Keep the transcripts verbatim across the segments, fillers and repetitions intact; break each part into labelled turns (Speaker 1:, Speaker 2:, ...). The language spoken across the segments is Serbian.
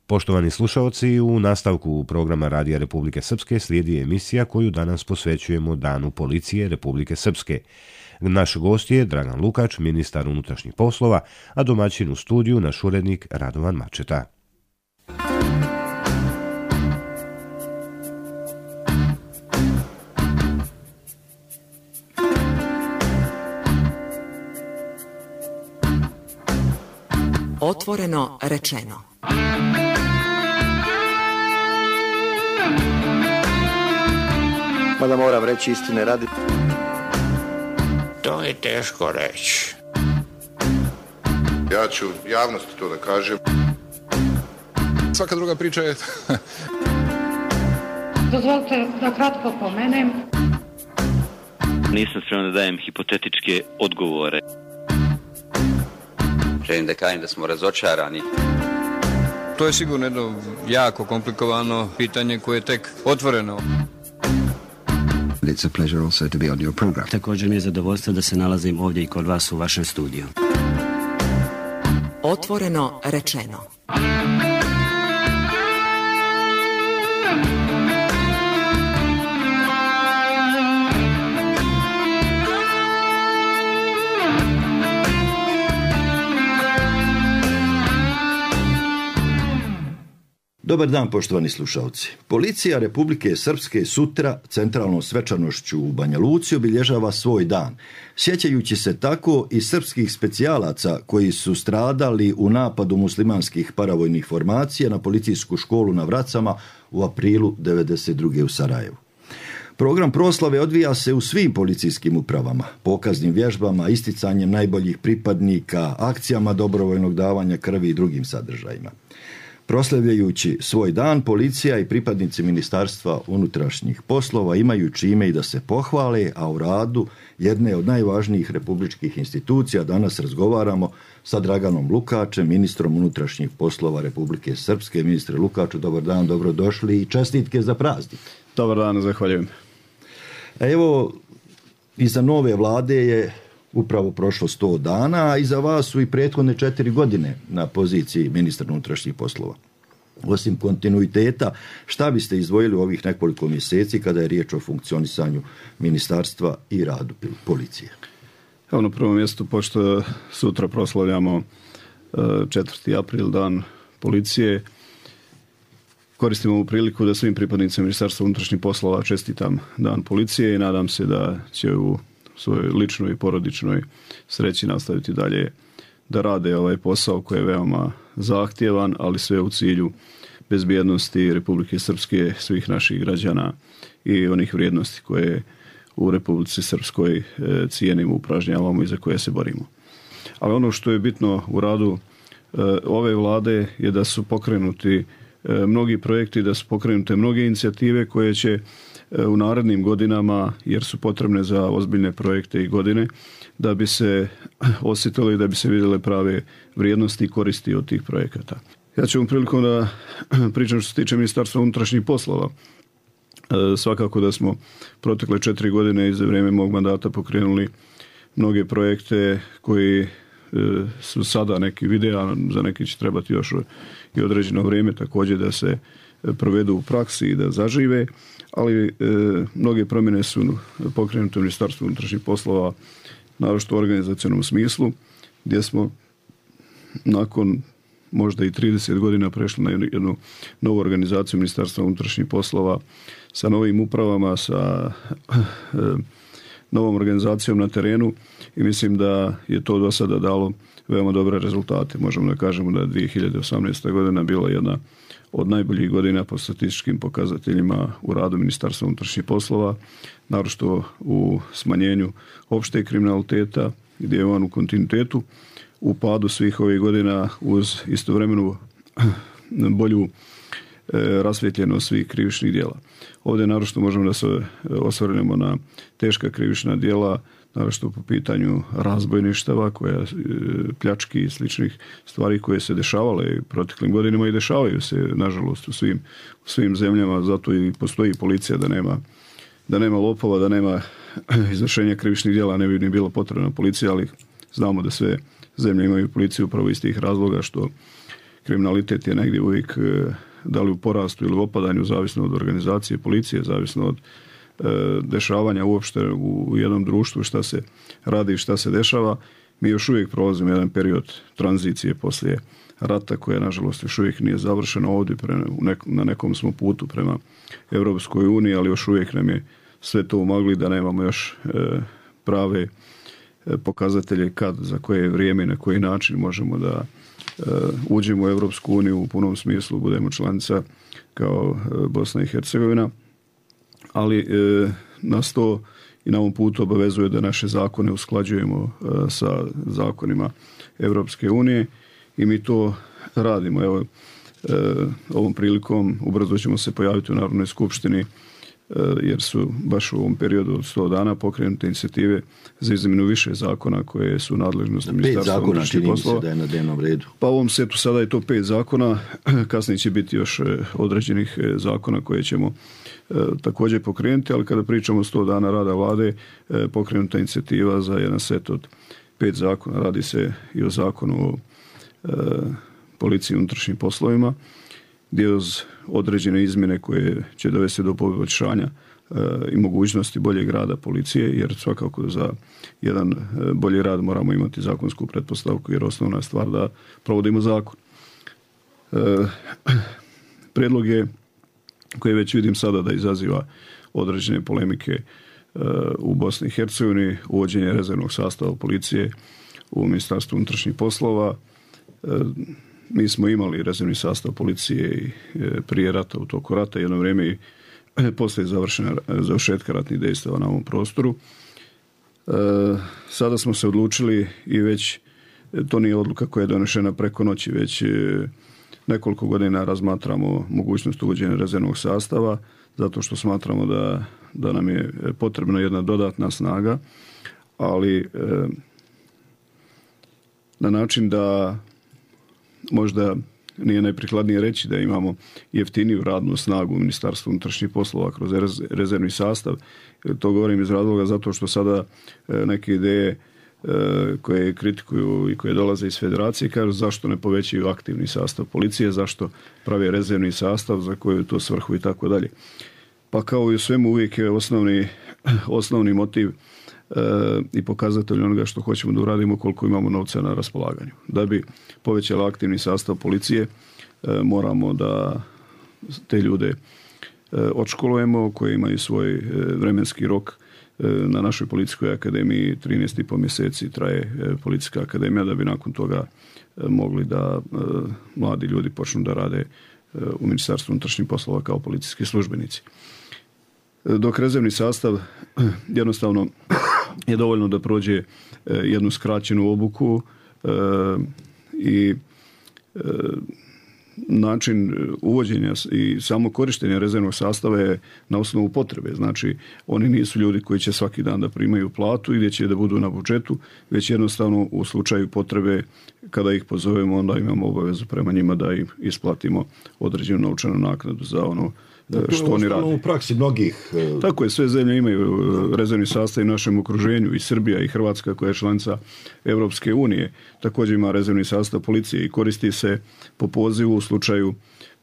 Speaker 1: Poštovani slušaoci, u nastavku programa Radija Republike Srpske slijedi emisija koju danas posvećujemo Danu policije Republike Srpske. Naš gost je Dragan Lukač, ministar unutrašnjih poslova, a domaćin u studiju naš urednik Radovan Mačeta.
Speaker 2: Otvoreno rečeno.
Speaker 3: Mada moram reći istine radi.
Speaker 4: To je teško reći.
Speaker 5: Ja ću javnosti to da kažem.
Speaker 6: Svaka druga priča je...
Speaker 7: Dozvolite da kratko pomenem.
Speaker 8: Nisam spreman da dajem hipotetičke odgovore.
Speaker 9: Želim da kažem da smo razočarani.
Speaker 6: To je sigurno jedno jako komplikovano pitanje koje je tek otvoreno.
Speaker 10: It's a pleasure also to be on your program.
Speaker 11: Također mi je zadovoljstvo da se nalazim ovdje i kod vas u vašem studiju.
Speaker 2: Otvoreno rečeno.
Speaker 12: Dobar dan, poštovani slušalci. Policija Republike Srpske sutra centralnom svečanošću u Banja Luci obilježava svoj dan, sjećajući se tako i srpskih specijalaca koji su stradali u napadu muslimanskih paravojnih formacija na policijsku školu na Vracama u aprilu devedeset druge u Sarajevu. Program proslave odvija se u svim policijskim upravama, pokaznim vježbama, isticanjem najboljih pripadnika, akcijama dobrovoljnog davanja krvi i drugim sadržajima. Proslavljajući svoj dan, policija i pripadnici Ministarstva unutrašnjih poslova imaju čime i da se pohvale, a u radu jedne od najvažnijih republičkih institucija danas razgovaramo sa Draganom Lukačem, ministrom unutrašnjih poslova Republike Srpske. Ministre Lukaču, dobar dan, dobrodošli i čestitke za praznik.
Speaker 13: Dobar dan, zahvaljujem.
Speaker 12: Evo, iza nove vlade je upravo prošlo sto dana, a iza vas su i prethodne četiri godine na poziciji ministra unutrašnjih poslova. Osim kontinuiteta, šta biste izdvojili u ovih nekoliko mjeseci kada je riječ o funkcionisanju ministarstva i radu policije?
Speaker 13: Evo, na prvom mjestu, pošto sutra proslavljamo četvrti april, dan policije, koristimo ovu priliku da svim pripadnicima Ministarstva unutrašnjih poslova čestitam dan policije i nadam se da će u svojoj ličnoj i porodičnoj sreći nastaviti dalje da rade ovaj posao koji je veoma zahtjevan, ali sve u cilju bezbjednosti Republike Srpske, svih naših građana i onih vrijednosti koje u Republici Srpskoj cijenimo, upražnjavamo i za koje se borimo. Ali ono što je bitno u radu ove vlade je da su pokrenuti mnogi projekti, da su pokrenute mnoge inicijative koje će u narednim godinama, jer su potrebne za ozbiljne projekte i godine, da bi se osjetili, da bi se vidjele prave vrijednosti i koristi od tih projekata. Ja ću vam prilikom da pričam što se tiče Ministarstva unutrašnjih poslova. Svakako da smo protekle četiri godine i za vrijeme mog mandata pokrenuli mnoge projekte koji su sada neki videa, za neki će trebati još i određeno vrijeme također da se provedu u praksi i da zažive, ali e, mnoge promjene su pokrenute u Ministarstvu unutrašnjih poslova, naročito u organizacionom smislu, gdje smo nakon možda i trideset godina prešli na jednu novu organizaciju Ministarstva unutrašnjih poslova sa novim upravama, sa e, novom organizacijom na terenu i mislim da je to do sada dalo veoma dobre rezultate. Možemo da kažemo da je dvije hiljade osamnaesta. godina bila jedna od najboljih godina po statističkim pokazateljima u radu Ministarstva unutrašnjih poslova, naročito u smanjenju opšte kriminaliteta, gdje je on u kontinuitetu, u padu svih ovih godina uz istovremenu bolju rasvjetljenost svih krivičnih djela. Ovdje naročito možemo da se osvrnemo na teška krivična djela, naročito po pitanju razbojništava, koja, pljački i sličnih stvari koje se dešavale proteklim godinama i dešavaju se, nažalost, u svim, u svim zemljama, zato i postoji policija, da nema, da nema lopova, da nema izvršenja krivičnih djela, ne bi ni bilo potrebna policija, ali znamo da sve zemlje imaju policiju upravo iz tih razloga što kriminalitet je negdje uvijek da li u porastu ili u opadanju, zavisno od organizacije policije, zavisno od dešavanja uopšte u jednom društvu, šta se radi i šta se dešava. Mi još uvijek prolazimo jedan period tranzicije poslije rata koja nažalost još uvijek nije završena ovdje, na nekom smo putu prema Europskoj uniji, ali još uvijek nam je sve to umagli da nemamo još prave pokazatelje kad, za koje vrijeme i na koji način možemo da uđemo u Europsku uniju u punom smislu, budemo članica kao Bosna i Hercegovina, ali nas to i na ovom putu obavezuje da naše zakone usklađujemo sa zakonima Europske unije i mi to radimo. Evo, ovom prilikom ubrzo ćemo se pojaviti u Narodnoj skupštini jer su baš u ovom periodu od sto dana pokrenute inicijative za izmjenu više zakona koje su nadležnosti Ministarstva unutrašnjih poslova.
Speaker 12: Da je na dnevnom redu.
Speaker 13: Pa u ovom setu sada je to pet zakona, kasnije će biti još određenih zakona koje ćemo također pokrenuti, ali kada pričamo o sto dana rada vlade, pokrenuta inicijativa za jedan set od pet zakona. Radi se i o zakonu o policiji i unutrašnjim poslovima, gdje uz određene izmjene koje će dovesti do poboljšanja i mogućnosti boljeg rada policije, jer svakako za jedan bolji rad moramo imati zakonsku pretpostavku, jer osnovna je stvar da provodimo zakon. Prijedlog je, koji već vidim sada da izaziva određene polemike u Bosni i Hercegovini, uvođenje rezervnog sastava policije u Ministarstvu unutrašnjih poslova. Mi smo imali rezervni sastav policije i prije rata, u toku rata, jedno vrijeme i poslije završetka ratnih dejstava na ovom prostoru. Sada smo se odlučili i već to nije odluka koja je donešena preko noći, već nekoliko godina razmatramo mogućnost uvođenja rezervnog sastava, zato što smatramo da, da nam je potrebna jedna dodatna snaga, ali na način da možda nije najprikladnije reći da imamo jeftiniju radnu snagu u Ministarstvu unutrašnjih poslova kroz rezervni sastav. To govorim iz razloga zato što sada neke ideje koje kritikuju i koje dolaze iz federacije kažu zašto ne povećaju aktivni sastav policije, zašto prave rezervni sastav, za koju to svrhu i tako dalje. Pa kao i u svemu uvijek je osnovni, osnovni motiv i pokazatelj onoga što hoćemo da uradimo koliko imamo novca na raspolaganju. Da bi povećala aktivni sastav policije moramo da te ljude odškolujemo koji imaju svoj vremenski rok. Na našoj policijskoj akademiji trinaest i pol mjeseci traje policijska akademija da bi nakon toga mogli da mladi ljudi počnu da rade u Ministarstvu unutrašnjih poslova kao policijski službenici. Dok rezervni sastav jednostavno je dovoljno da prođe jednu skraćenu obuku i način uvođenja i samo korištenja rezervnog sastava je na osnovu potrebe. Znači, oni nisu ljudi koji će svaki dan da primaju platu i gdje će da budu na budžetu, već jednostavno u slučaju potrebe kada ih pozovemo, onda imamo obavezu prema njima da im isplatimo određenu novčanu naknadu za ono što oni rade.
Speaker 12: U praksi mnogih...
Speaker 13: Tako je, sve zemlje imaju rezervni sastav u našem okruženju, i Srbija i Hrvatska koja je članica Europske unije također ima rezervni sastav policije i koristi se po pozivu u slučaju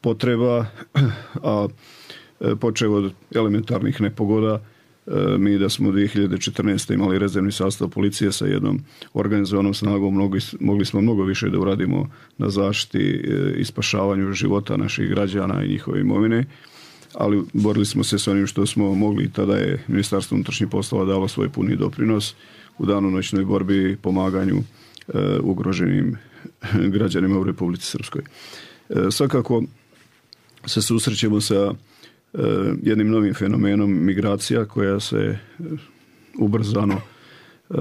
Speaker 13: potreba, a počev od elementarnih nepogoda, mi da smo dvije hiljade četrnaeste. imali rezervni sastav policije sa jednom organizovanom snagom, mogli, mogli smo mnogo više da uradimo na zaštiti i spašavanju života naših građana i njihove imovine, ali borili smo se s onim što smo mogli i tada je Ministarstvo unutrašnjih poslova dalo svoj puni doprinos u danonoćnoj borbi i pomaganju e, ugroženim građanima u Republici Srpskoj. E, svakako se susrećemo sa e, jednim novim fenomenom migracija koja se ubrzano e,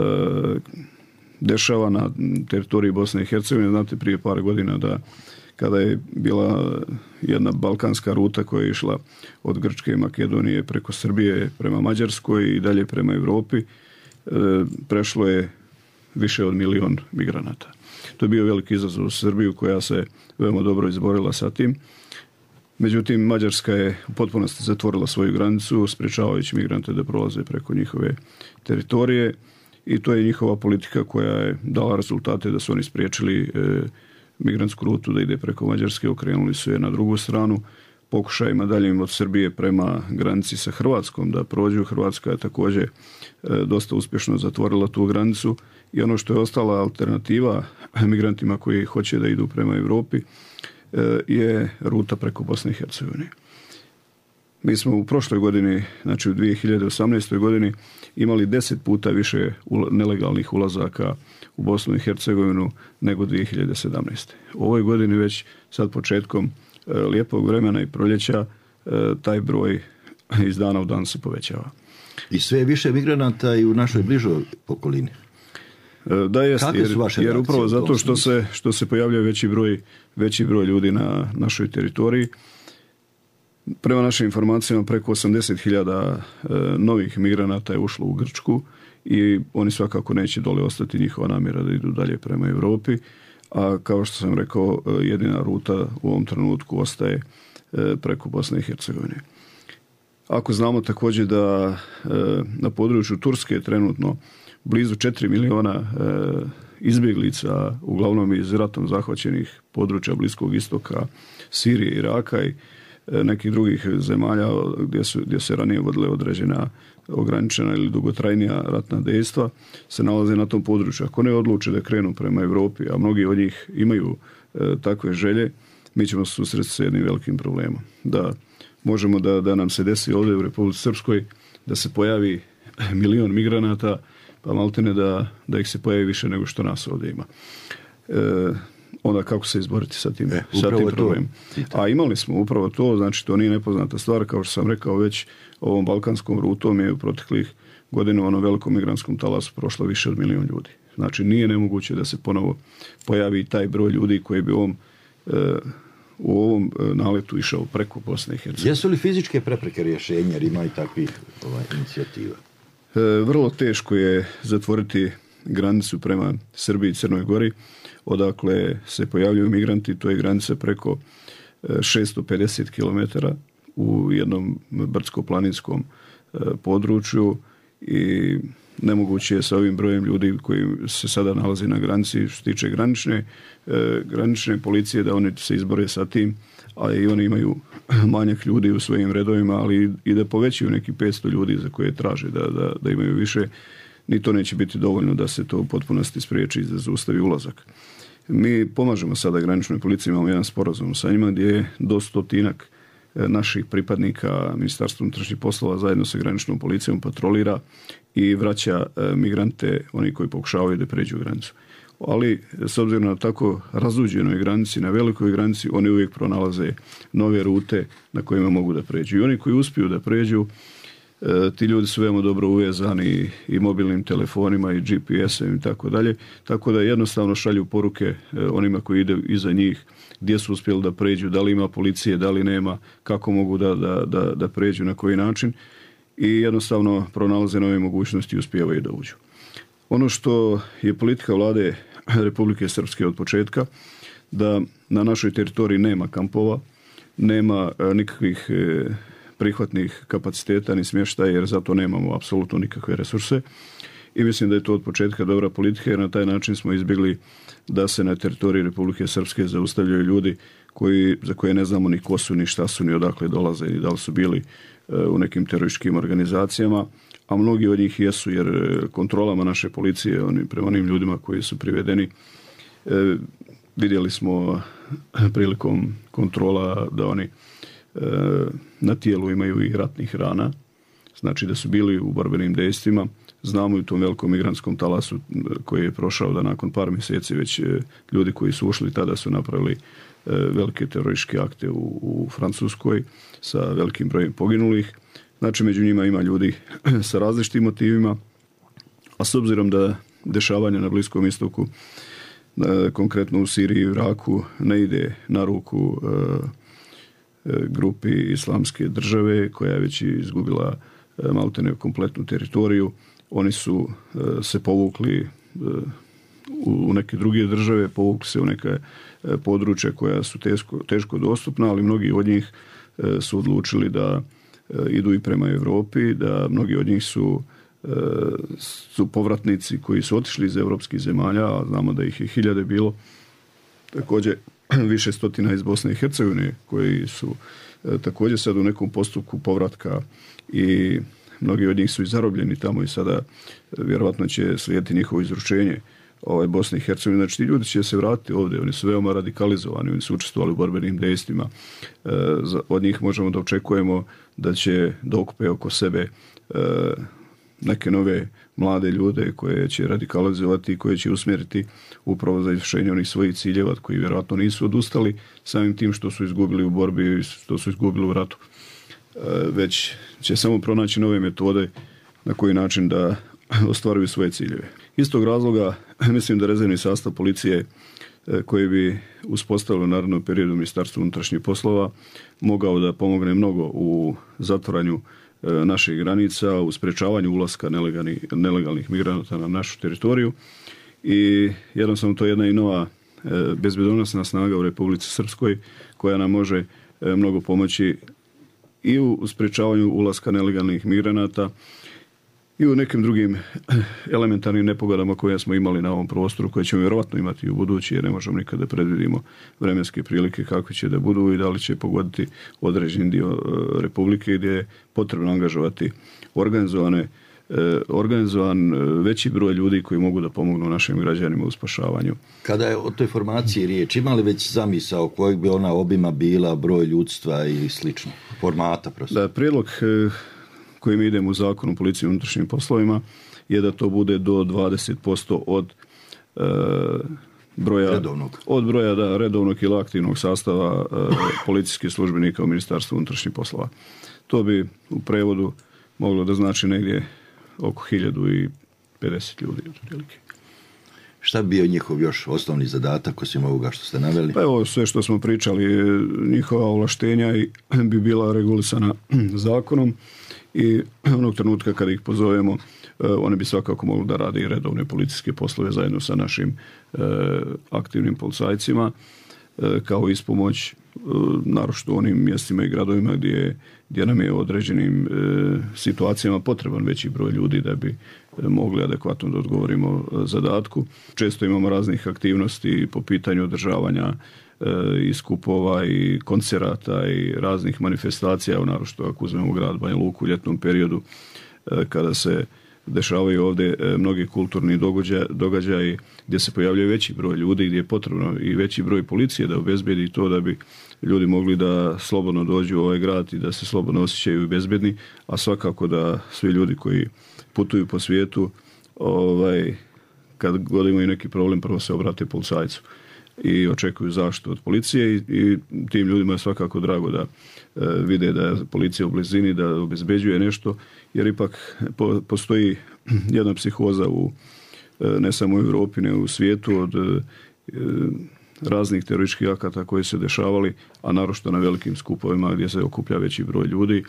Speaker 13: dešava na teritoriji Bosne i Hercegovine. Znate, prije par godina da kada je bila jedna balkanska ruta koja je išla od Grčke i Makedonije preko Srbije prema Mađarskoj i dalje prema Europi, prešlo je više od milion migranata. To je bio veliki izazov u Srbiju koja se veoma dobro izborila sa tim. Međutim, Mađarska je u potpunosti zatvorila svoju granicu, sprečavajući migrante da prolaze preko njihove teritorije, i to je njihova politika koja je dala rezultate da su oni spriječili migrantsku rutu da ide preko Mađarske, okrenuli su je na drugu stranu, pokušajima daljim od Srbije prema granici sa Hrvatskom da prođu. Hrvatska je također dosta uspješno zatvorila tu granicu i ono što je ostala alternativa migrantima koji hoće da idu prema Europi je ruta preko Bosne i Hercegovine. Mi smo u prošloj godini, znači u dvije hiljade osamnaestoj godini, imali deset puta više nelegalnih ulazaka u Bosnu i Hercegovinu nego dvije hiljade sedamnaeste. U ovoj godini već sad početkom lijepog vremena i proljeća taj broj iz dana u dan se povećava.
Speaker 12: I sve je više migranata i u našoj bližoj okolini.
Speaker 13: Da jest, jer, jer upravo zato što se, što se pojavljuje veći broj, veći broj ljudi na našoj teritoriji. Prema našim informacijama preko osamdeset hiljada e, novih migranata je ušlo u Grčku i oni svakako neće dole ostati, njihova namjera da idu dalje prema Europi, a kao što sam rekao, jedina ruta u ovom trenutku ostaje e, preko Bosne i Hercegovine. Ako znamo također da e, na području Turske je trenutno blizu četiri miliona e, izbjeglica, uglavnom iz ratom zahvaćenih područja Bliskog istoka, Sirije, Iraka i nekih drugih zemalja gdje, su, gdje se ranije vodile određena ograničena ili dugotrajnija ratna dejstva, se nalaze na tom području. Ako ne odluče da krenu prema Europi, a mnogi od njih imaju e, takve želje, mi ćemo se susresti sa jednim velikim problemom. Da možemo da, da nam se desi ovdje u Republici Srpskoj da se pojavi milion migranata, pa maltene da, da ih se pojavi više nego što nas ovdje ima. E, onda kako se izboriti sa tim, e, sa tim problemom. A imali smo upravo to, znači to nije nepoznata stvar, kao što sam rekao već, ovom balkanskom rutom je u proteklih godina u onom velikom migrantskom talasu prošlo više od milion ljudi. Znači nije nemoguće da se ponovo pojavi taj broj ljudi koji bi u ovom, e, u ovom naletu išao preko Bosne i Hercegovine.
Speaker 12: Jesu li fizičke prepreke rješenja, jer ima i takvih ovaj, inicijativa?
Speaker 13: E, vrlo teško je zatvoriti granicu prema Srbiji i Crnoj Gori, odakle se pojavljuju migranti, to je granica preko šesto pedeset kilometara u jednom brdsko-planinskom području i nemoguće je sa ovim brojem ljudi koji se sada nalazi na granici što se tiče granične, granične policije da oni se izbore sa tim, a i oni imaju manjak ljudi u svojim redovima, ali i da povećaju neki petsto ljudi za koje traže da, da, da imaju više. Ni to neće biti dovoljno da se to u potpunosti spriječi i da zaustavi ulazak. Mi pomažemo sada graničnoj policiji, imamo jedan sporazum sa njima gdje je do stotinak naših pripadnika Ministarstva unutrašnjih poslova zajedno sa graničnom policijom patrolira i vraća migrante, oni koji pokušavaju da pređu granicu. Ali s obzirom na tako razuđenoj granici, na velikoj granici, oni uvijek pronalaze nove rute na kojima mogu da pređu. I oni koji uspiju da pređu, ti ljudi su veoma dobro uvezani i mobilnim telefonima i G P S-em i tako dalje, tako da jednostavno šalju poruke onima koji ide iza njih gdje su uspjeli da pređu, da li ima policije, da li nema, kako mogu da, da, da, da pređu, na koji način i jednostavno pronalaze nove mogućnosti i uspijevaju da uđu. Ono što je politika vlade Republike Srpske od početka, da na našoj teritoriji nema kampova, nema nikakvih prihvatnih kapaciteta ni smještaja, jer zato nemamo apsolutno nikakve resurse. I mislim da je to od početka dobra politika, jer na taj način smo izbjegli da se na teritoriji Republike Srpske zaustavljaju ljudi koji, za koje ne znamo ni ko su, ni šta su, ni odakle dolaze, ni da li su bili u nekim terorističkim organizacijama, a mnogi od njih jesu, jer kontrolama naše policije, oni, prema onim ljudima koji su privedeni, e, vidjeli smo prilikom kontrola da oni e, na tijelu imaju i ratnih rana, znači da su bili u borbenim dejstvima. Znamo i u tom velikom migrantskom talasu koji je prošao da nakon par mjeseci već ljudi koji su ušli tada su napravili velike terorističke akte u, u Francuskoj sa velikim brojem poginulih. Znači među njima ima ljudi sa različitim motivima, a s obzirom da dešavanja na Bliskom istoku, konkretno u Siriji i Iraku, ne ide na ruku grupi Islamske države koja je već izgubila maltene kompletnu teritoriju, oni su se povukli u neke druge države, povukli se u neke područja koja su teško, teško dostupna, ali mnogi od njih su odlučili da idu i prema Europi, da mnogi od njih su, su povratnici koji su otišli iz europskih zemalja, a znamo da ih je hiljade bilo, također više stotina iz Bosne i Hercegovine koji su također sad u nekom postupku povratka i mnogi od njih su i zarobljeni tamo i sada vjerojatno će slijediti njihovo izručenje ovaj, Bosne i Hercegovine. Znači ti ljudi će se vratiti ovdje, oni su veoma radikalizovani, oni su učestvovali u borbenim dejstvima. E, od njih možemo da očekujemo da će dokupe oko sebe e, neke nove mlade ljude koje će radikalizovati i koje će usmjeriti upravo za izvršenje onih svojih ciljeva koji vjerojatno nisu odustali samim tim što su izgubili u borbi i što su izgubili u ratu. E, već će samo pronaći nove metode na koji način da ostvaruju svoje ciljeve. Iz tog razloga mislim da rezervni sastav policije koji bi uspostavilo u narednom periodu Ministarstvo unutrašnjih poslova mogao da pomogne mnogo u zatvaranju naših granica, u sprečavanju ulaska nelegalnih, nelegalnih migranata na našu teritoriju i jednostavno to je jedna i nova bezbjednosna snaga u Republici Srpskoj koja nam može mnogo pomoći i u sprečavanju ulaska nelegalnih migranata i u nekim drugim elementarnim nepogodama koje smo imali na ovom prostoru, koje ćemo vjerovatno imati i u budući, jer ne možemo nikada predvidimo vremenske prilike kakve će da budu i da li će pogoditi određen dio Republike gdje je potrebno angažovati organizovane, organizovan veći broj ljudi koji mogu da pomognu našim građanima u spašavanju.
Speaker 12: Kada je o toj formaciji riječ, ima li već zamisao kojeg bi ona obima bila, broj ljudstva ili slično? Formata prosto?
Speaker 13: Da, prijedlog kojim idemo u zakonu o policiji i unutrašnjim poslovima je da to bude do dvadeset posto od e, broja
Speaker 12: redovnog,
Speaker 13: od broja da, redovnog ili aktivnog sastava e, policijskih službenika u Ministarstvu unutrašnjih poslova. To bi u prevodu moglo da znači negdje oko hiljadu pedeset ljudi otprilike.
Speaker 12: Šta bi bio njihov još osnovni zadatak osim ovoga što ste naveli?
Speaker 13: Pa evo sve što smo pričali, njihova ovlaštenja bi bila regulisana zakonom i onog trenutka kada ih pozovemo, one bi svakako mogli da rade i redovne policijske poslove zajedno sa našim e, aktivnim policajcima, e, kao ispomoć, e, naročito u onim mjestima i gradovima gdje, gdje nam je u određenim e, situacijama potreban veći broj ljudi da bi mogli adekvatno da odgovorimo zadatku. Često imamo raznih aktivnosti po pitanju održavanja i skupova i koncerata i raznih manifestacija, naročito ako uzmemo grad Banja Luku u ljetnom periodu kada se dešavaju ovdje mnogi kulturni događaji, događaji gdje se pojavljaju veći broj ljudi, gdje je potrebno i veći broj policije da obezbedi to da bi ljudi mogli da slobodno dođu u ovaj grad i da se slobodno osjećaju bezbedni, a svakako da svi ljudi koji putuju po svijetu, ovaj, kad god imaju neki problem, prvo se obrate policajcu i očekuju zaštitu od policije i, i tim ljudima je svakako drago da e, vide da je policija u blizini, da obezbeđuje nešto, jer ipak po, postoji jedna psihoza u, e, ne samo u Europi, nego u svijetu od e, raznih terorističkih akata koji se dešavali, a naročito na velikim skupovima gdje se okuplja veći broj ljudi,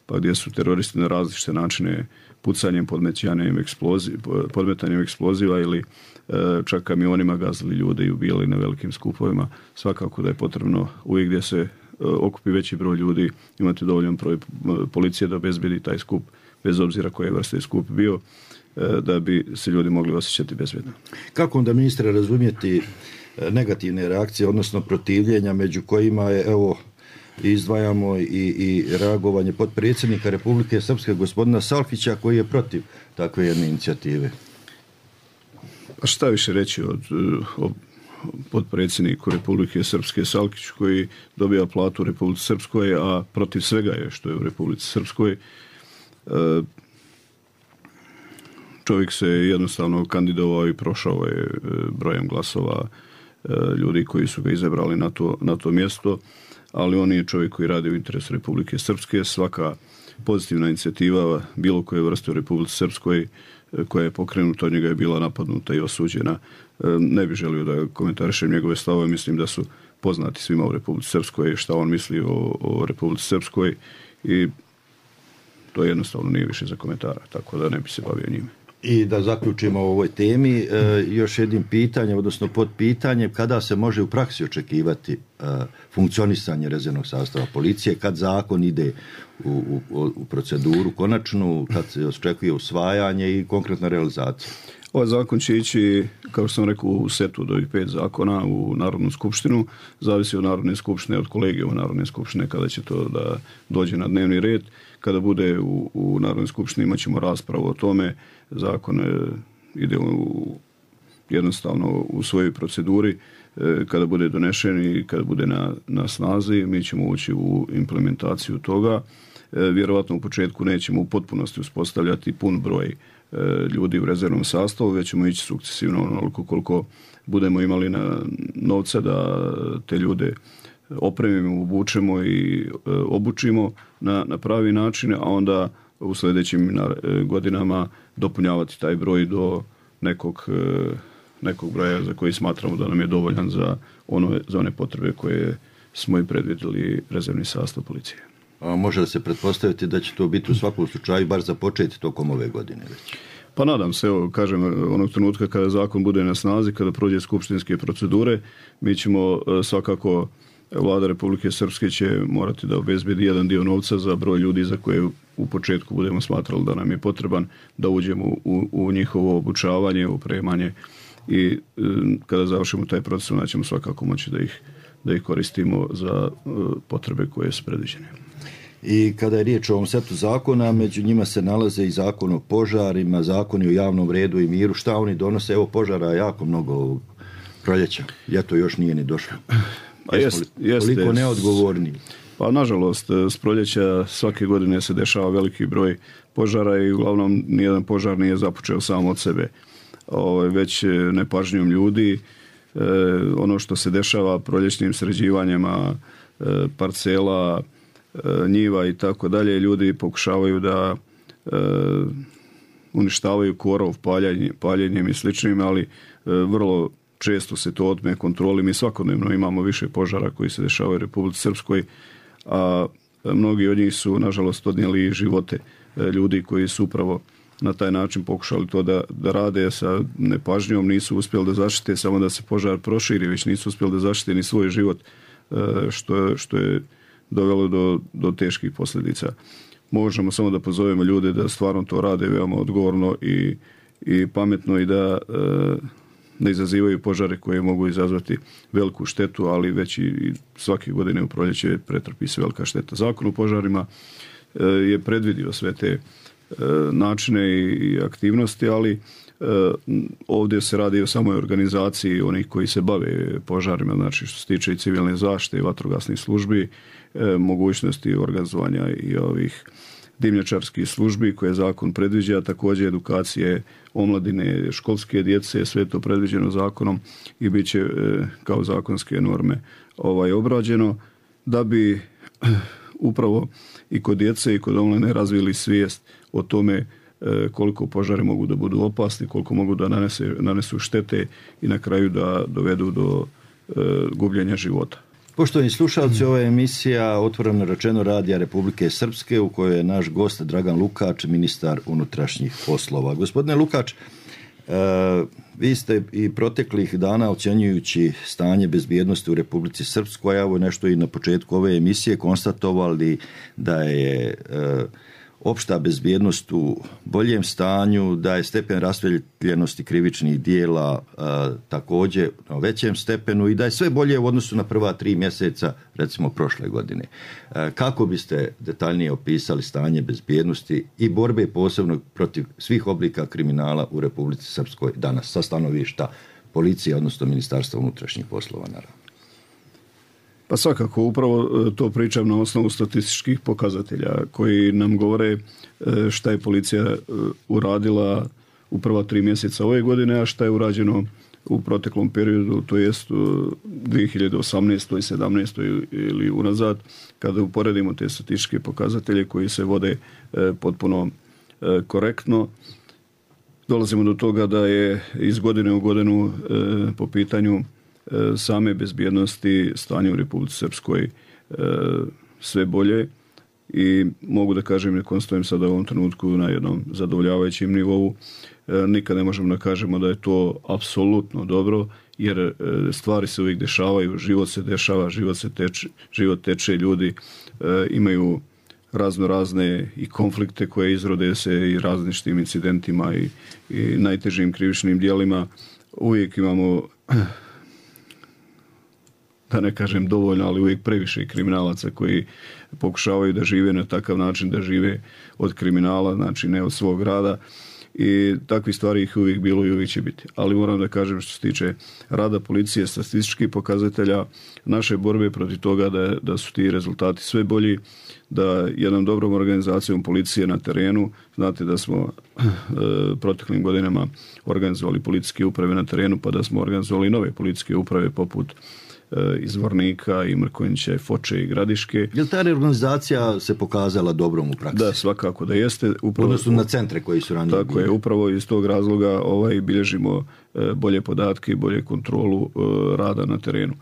Speaker 13: pa gdje su teroristi na različite načine pucanjem, podmetanjem eksploziva, podmetanjem eksploziva ili čak kamionima gazili ljude i ubijali na velikim skupovima. Svakako da je potrebno uvijek gdje se okupi veći broj ljudi imati dovoljan broj policije da obezbedi taj skup, bez obzira koje vrste skup bio, da bi se ljudi mogli osjećati bezbjedno.
Speaker 12: Kako onda, ministre, razumjeti negativne reakcije, odnosno protivljenja, među kojima je, evo, izdvajamo i, i reagovanje potpredsjednika Republike Srpske gospodina Salkića koji je protiv takve jedne inicijative?
Speaker 13: A šta više reći od, o potpredsjedniku Republike Srpske Salkić koji dobija platu u Republici Srpskoj, a protiv svega je što je u Republici Srpskoj. Čovjek se jednostavno kandidovao i prošao je brojem glasova ljudi koji su ga izabrali na to, na to mjesto, ali on je čovjek koji radi u interesu Republike Srpske. Svaka pozitivna inicijativa bilo koje vrste u Republici Srpskoj koja je pokrenuta od njega je bila napadnuta i osuđena. Ne bih želio da komentarišem njegove stavove, mislim da su poznati svima u Republici Srpskoj šta on misli o, o Republici Srpskoj i to jednostavno nije više za komentara, tako da ne bi se bavio njime.
Speaker 12: I da zaključimo o ovoj temi, e, još jednim pitanjem, odnosno pod pitanjem, kada se može u praksi očekivati e, funkcionisanje rezervnog sastava policije, kad zakon ide u, u, u proceduru konačnu, kad se očekuje usvajanje i konkretna realizacija?
Speaker 13: Ovaj zakon će ići, kao što sam rekao, u setu od ovih pet zakona u Narodnu skupštinu. Zavisi od Narodne skupštine, od kolegijuma Narodne skupštine kada će to da dođe na dnevni red. Kada bude u, u Narodnoj skupštini imat ćemo raspravu o tome. Zakon e, ide u, jednostavno u svojoj proceduri. E, kada bude donešen i kada bude na, na snazi, mi ćemo ući u implementaciju toga. E, vjerovatno u početku nećemo u potpunosti uspostavljati pun broj ljudi u rezervnom sastavu, već ćemo ići sukcesivno onoliko koliko budemo imali na novca da te ljude opremimo, obučemo i obučimo na, na pravi način, a onda u sljedećim godinama dopunjavati taj broj do nekog, nekog broja za koji smatramo da nam je dovoljan za, ono, za one potrebe koje smo i predvidjeli rezervni sastav policije.
Speaker 12: A može da se pretpostaviti da će to biti u svakom slučaju bar započeti tokom ove godine već?
Speaker 13: Pa nadam se, evo, kažem, onog trenutka kada zakon bude na snazi, kada prođe skupštinske procedure, mi ćemo svakako, Vlada Republike Srpske će morati da obezbedi jedan dio novca za broj ljudi za koje u početku budemo smatrali da nam je potreban, da uđemo u, u njihovo obučavanje, opremanje i kada završimo taj proces, onda ćemo svakako moći da ih, da ih koristimo za potrebe koje su predviđene.
Speaker 12: I kada je riječ o ovom setu zakona, među njima se nalaze i zakon o požarima, zakoni o javnom redu i miru. Šta oni donose? Evo, požara je jako mnogo ovog proljeća. Ljeto još nije ni došlo.
Speaker 13: Pa jest, jeste,
Speaker 12: koliko neodgovorni?
Speaker 13: Pa nažalost, s proljeća svake godine se dešava veliki broj požara i uglavnom nijedan požar nije započeo sam od sebe. Ovo, već nepažnjom ljudi, e, ono što se dešava proljećnim sređivanjima e, parcela, njiva i tako dalje, ljudi pokušavaju da e, uništavaju korov paljenje, paljenjem i sličnim, ali e, vrlo često se to otme kontroli. Mi svakodnevno imamo više požara koji se dešavaju u Republici Srpskoj, a mnogi od njih su nažalost odnijeli živote e, ljudi koji su upravo na taj način pokušali to da, da rade sa nepažnjom, nisu uspjeli da zaštite samo da se požar proširi, već nisu uspjeli da zaštite ni svoj život, e, što, što je dovelo do, do teških posljedica. Možemo samo da pozovemo ljude da stvarno to rade veoma odgovorno i, i pametno i da e, ne izazivaju požare koje mogu izazvati veliku štetu, ali već i, i svake godine u proljeće pretrpi se velika šteta. Zakon o požarima e, je predvidio sve te e, načine i, i aktivnosti, ali e, ovdje se radi o samoj organizaciji onih koji se bave požarima, znači što se tiče i civilne zaštite i vatrogasnih službi, E, mogućnosti organizovanja i ovih dimnjačarskih službi koje zakon predviđa, također edukacije omladine, školske djece, sve to predviđeno zakonom i bit će e, kao zakonske norme ovaj, obrađeno, da bi upravo i kod djece i kod omladine razvili svijest o tome e, koliko požari mogu da budu opasni, koliko mogu da nanese, nanesu štete i na kraju da dovedu do e, gubljenja života.
Speaker 12: Poštovani slušalci, ova je emisija otvoreno rečeno Radija Republike Srpske u kojoj je naš gost Dragan Lukač, ministar unutrašnjih poslova. Gospodine Lukač, e, vi ste i proteklih dana ocjenjujući stanje bezbjednosti u Republici Srpskoj, evo nešto i na početku ove emisije konstatovali da je e, opšta bezbjednost u boljem stanju, da je stepen rasvijetljenosti krivičnih dijela e, također na većem stepenu i da je sve bolje u odnosu na prva tri mjeseca, recimo prošle godine. E, kako biste detaljnije opisali stanje bezbjednosti i borbe posebno protiv svih oblika kriminala u Republici Srpskoj danas sa stanovišta policije, odnosno Ministarstva unutrašnjih poslova, naravno?
Speaker 13: Pa svakako, upravo to pričam na osnovu statističkih pokazatelja koji nam govore šta je policija uradila u prva tri mjeseca ove godine, a šta je urađeno u proteklom periodu, to jest u dvije hiljade osamnaestoj i sedamnaestoj ili unazad, kada uporedimo te statističke pokazatelje koji se vode potpuno korektno. Dolazimo do toga da je iz godine u godinu po pitanju same bezbjednosti stanje u Republici Srpskoj sve bolje i mogu da kažem i konstatujem sada u ovom trenutku na jednom zadovoljavajućem nivou. Nikad ne možemo da kažemo da je to apsolutno dobro, jer stvari se uvijek dešavaju, život se dešava, život se teče, život teče, ljudi imaju razno razne i konflikte koje izrode se i različitim incidentima i, i najtežim krivičnim djelima. Uvijek imamo, da ne kažem dovoljno, ali uvijek previše kriminalaca koji pokušavaju da žive na takav način, da žive od kriminala, znači ne od svog rada. I takvi stvari ih uvijek bilo i uvijek će biti. Ali moram da kažem što se tiče rada policije, statističkih pokazatelja, naše borbe protiv toga da, da su ti rezultati sve bolji, da jednom dobrom organizacijom policije na terenu, znate da smo e, proteklim godinama organizovali policijske uprave na terenu, pa da smo organizovali nove policijske uprave poput iz Vornika i Mrkonjića, Foče i Gradiške.
Speaker 12: Je li ta reorganizacija se pokazala dobrom u praksi?
Speaker 13: Da, svakako da jeste.
Speaker 12: Upravo, odnosno na centre koji su ranije
Speaker 13: tako bili. Je, upravo iz tog razloga ovaj, bilježimo bolje podatke i bolje kontrolu rada na terenu.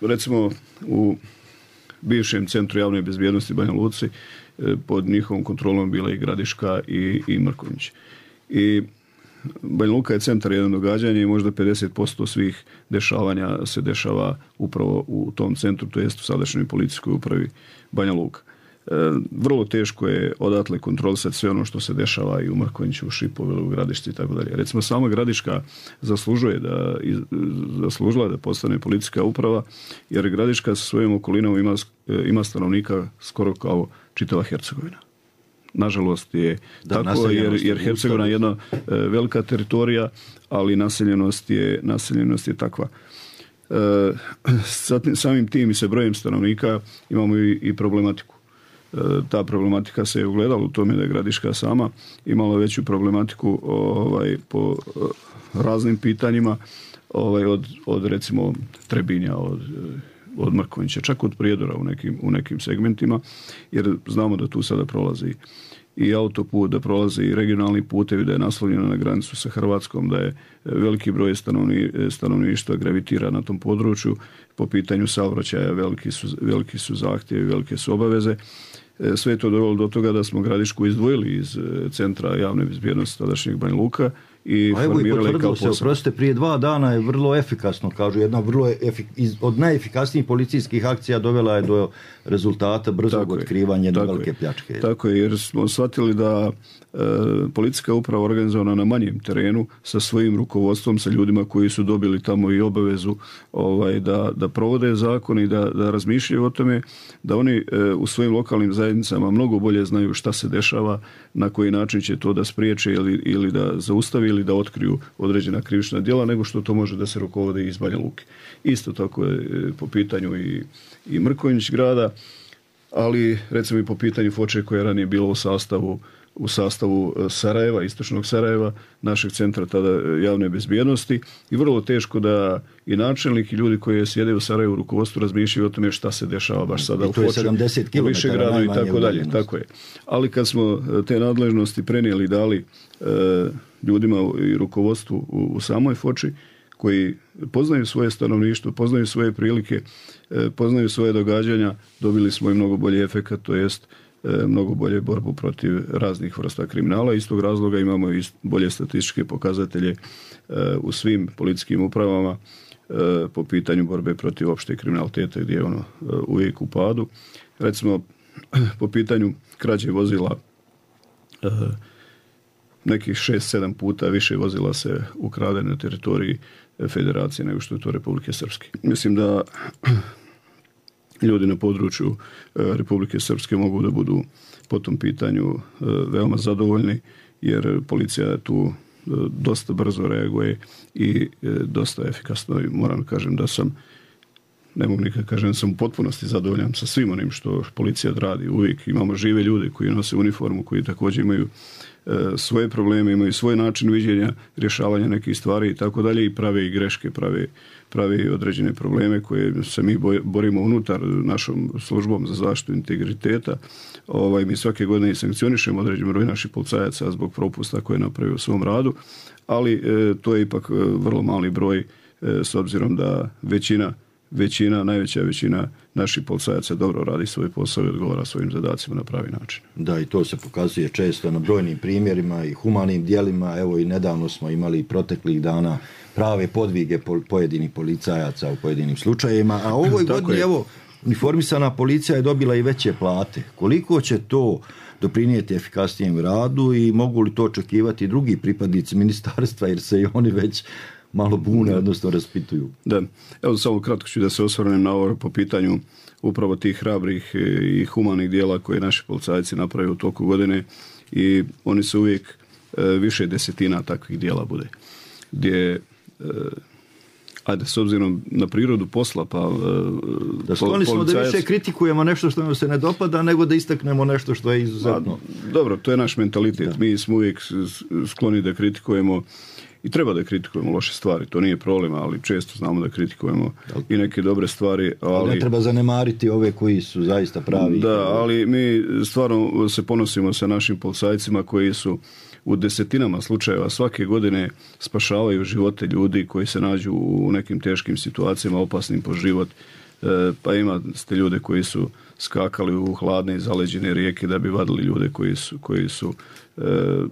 Speaker 13: Recimo u bivšem centru javne bezbjednosti Banja Luci pod njihovom kontrolom bila i Gradiška i, i Mrkonjić. I Banja Luka je centar jedno događanje i možda pedeset posto svih dešavanja se dešava upravo u tom centru, to jest u sadašnjoj policijskoj upravi Banja Luka. E, vrlo teško je odatle kontrolisati sve ono što se dešava i u Mrkonjiću, u Šipovilu, u Gradišci i tako dalje. Recimo sama Gradiška zaslužuje da, zaslužila da postane policijska uprava, jer Gradiška sa svojom okolinom ima, ima stanovnika skoro kao čitava Hercegovina. Nažalost je da, tako, jer, jer Hercegovina je jedna e, velika teritorija, ali naseljenost je, naseljenost je takva. E, samim tim i se brojem stanovnika imamo i, i problematiku. E, ta problematika se je ugledala u tome da je Gradiška sama imala veću problematiku ovaj, po e, raznim pitanjima, ovaj, od, od recimo Trebinja, od od Mrkonjića, čak od Prijedora u nekim, u nekim segmentima, jer znamo da tu sada prolazi i autoput, da prolazi i regionalni putevi, da je naslonjeno na granicu sa Hrvatskom, da je veliki broj stanovni, stanovništva gravitira na tom području. Po pitanju saobraćaja veliki su, veliki su zahtjevi, velike su obaveze. Sve je to dovelo do toga da smo Gradišku izdvojili iz centra javne bezbjednosti tadašnjeg Banja Luka i
Speaker 12: a evo i potvrdilo se, oprostite, prije dva dana je vrlo efikasno, kažu, jedna vrlo efik, iz, od najefikasnijih policijskih akcija dovela je do rezultata brzog otkrivanja jedne velike pljačke.
Speaker 13: Tako je, jer smo shvatili da e, policijska uprava organizovana na manjem terenu sa svojim rukovodstvom, sa ljudima koji su dobili tamo i obavezu ovaj, da, da provode zakon i da, da razmišljaju o tome, da oni e, u svojim lokalnim zajednicama mnogo bolje znaju šta se dešava, na koji način će to da spriječe ili, ili da zaustavi ili da otkriju određena krivična djela, nego što to može da se rukovode iz Banja Luke. Isto tako je po pitanju i, i Mrkonjić grada, ali recimo i po pitanju Foče koja je ranije bilo u sastavu u sastavu Sarajeva, istočnog Sarajeva, našeg centra tada javne bezbjednosti, i vrlo teško da i načelnik i ljudi koji sjede u Sarajevu u rukovodstvu razmišljaju o tome šta se dešava baš sada u Foči, u Višegradu i tako dalje. Tako je. Ali kad smo te nadležnosti prenijeli i dali e, ljudima i rukovodstvu u, u samoj Foči, koji poznaju svoje stanovništvo, poznaju svoje prilike, e, poznaju svoje događanja, dobili smo i mnogo bolji efekat, to jest mnogo bolje borbu protiv raznih vrsta kriminala. Iz tog razloga imamo i bolje statističke pokazatelje u svim policijskim upravama po pitanju borbe protiv opšte kriminaliteta, gdje je ono uvijek u padu. Recimo, po pitanju krađe vozila, nekih šest sedam puta više vozila se ukrade na teritoriji Federacije nego što je to Republike Srpske. Mislim da ljudi na području Republike Srpske mogu da budu po tom pitanju veoma zadovoljni, jer policija tu dosta brzo reaguje i dosta efikasno, i moram kažem da sam, ne mogu nikad kažem da sam u potpunosti zadovoljan sa svim onim što policija radi. Uvijek imamo žive ljude koji nose uniformu, koji također imaju svoje probleme, imaju svoj način viđenja, rješavanja nekih stvari i tako dalje, i prave i greške, prave, prave određene probleme koje se mi borimo unutar našom službom za zaštitu integriteta. Ovaj, mi svake godine i sankcionišemo određen broj naših policajaca zbog propusta koje napravio u svom radu, ali e, to je ipak vrlo mali broj e, s obzirom da većina većina, najveća većina naših policajaca dobro radi svoj posao i odgovara svojim zadacima na pravi način.
Speaker 12: Da, i to se pokazuje često na brojnim primjerima i humanim djelima. Evo i nedavno smo imali proteklih dana prave podvige pojedinih policajaca u pojedinim slučajevima, a ovoj godini, evo, uniformisana policija je dobila i veće plate. Koliko će to doprinijeti efikasnijem radu i mogu li to očekivati drugi pripadnici ministarstva, jer se i oni već malo bune, odnosno raspituju?
Speaker 13: Da, evo samo kratko ću da se osvrnem na ovo po pitanju upravo tih hrabrih i humanih dijela koje naši policajci naprave u toku godine, i oni se uvijek više desetina takvih dijela bude. Gdje, ajde, s obzirom na prirodu posla, pa
Speaker 12: da skloni smo
Speaker 13: policajac...
Speaker 12: da više kritikujemo nešto što nam se ne dopada, nego da istaknemo nešto što je izuzetno.
Speaker 13: A, dobro, to je naš mentalitet. Da. Mi smo uvijek skloni da kritikujemo, i treba da kritikujemo loše stvari, to nije problem, ali često znamo da kritikujemo i neke dobre stvari. Ali
Speaker 12: ne treba zanemariti ove koji su zaista pravi.
Speaker 13: Da, ali mi stvarno se ponosimo sa našim policajcima koji su u desetinama slučajeva svake godine spašavaju živote ljudi koji se nađu u nekim teškim situacijama, opasnim po život. E, pa ima ste ljude koji su skakali u hladne i zaleđene rijeke da bi vadili ljude koji su, koji su e,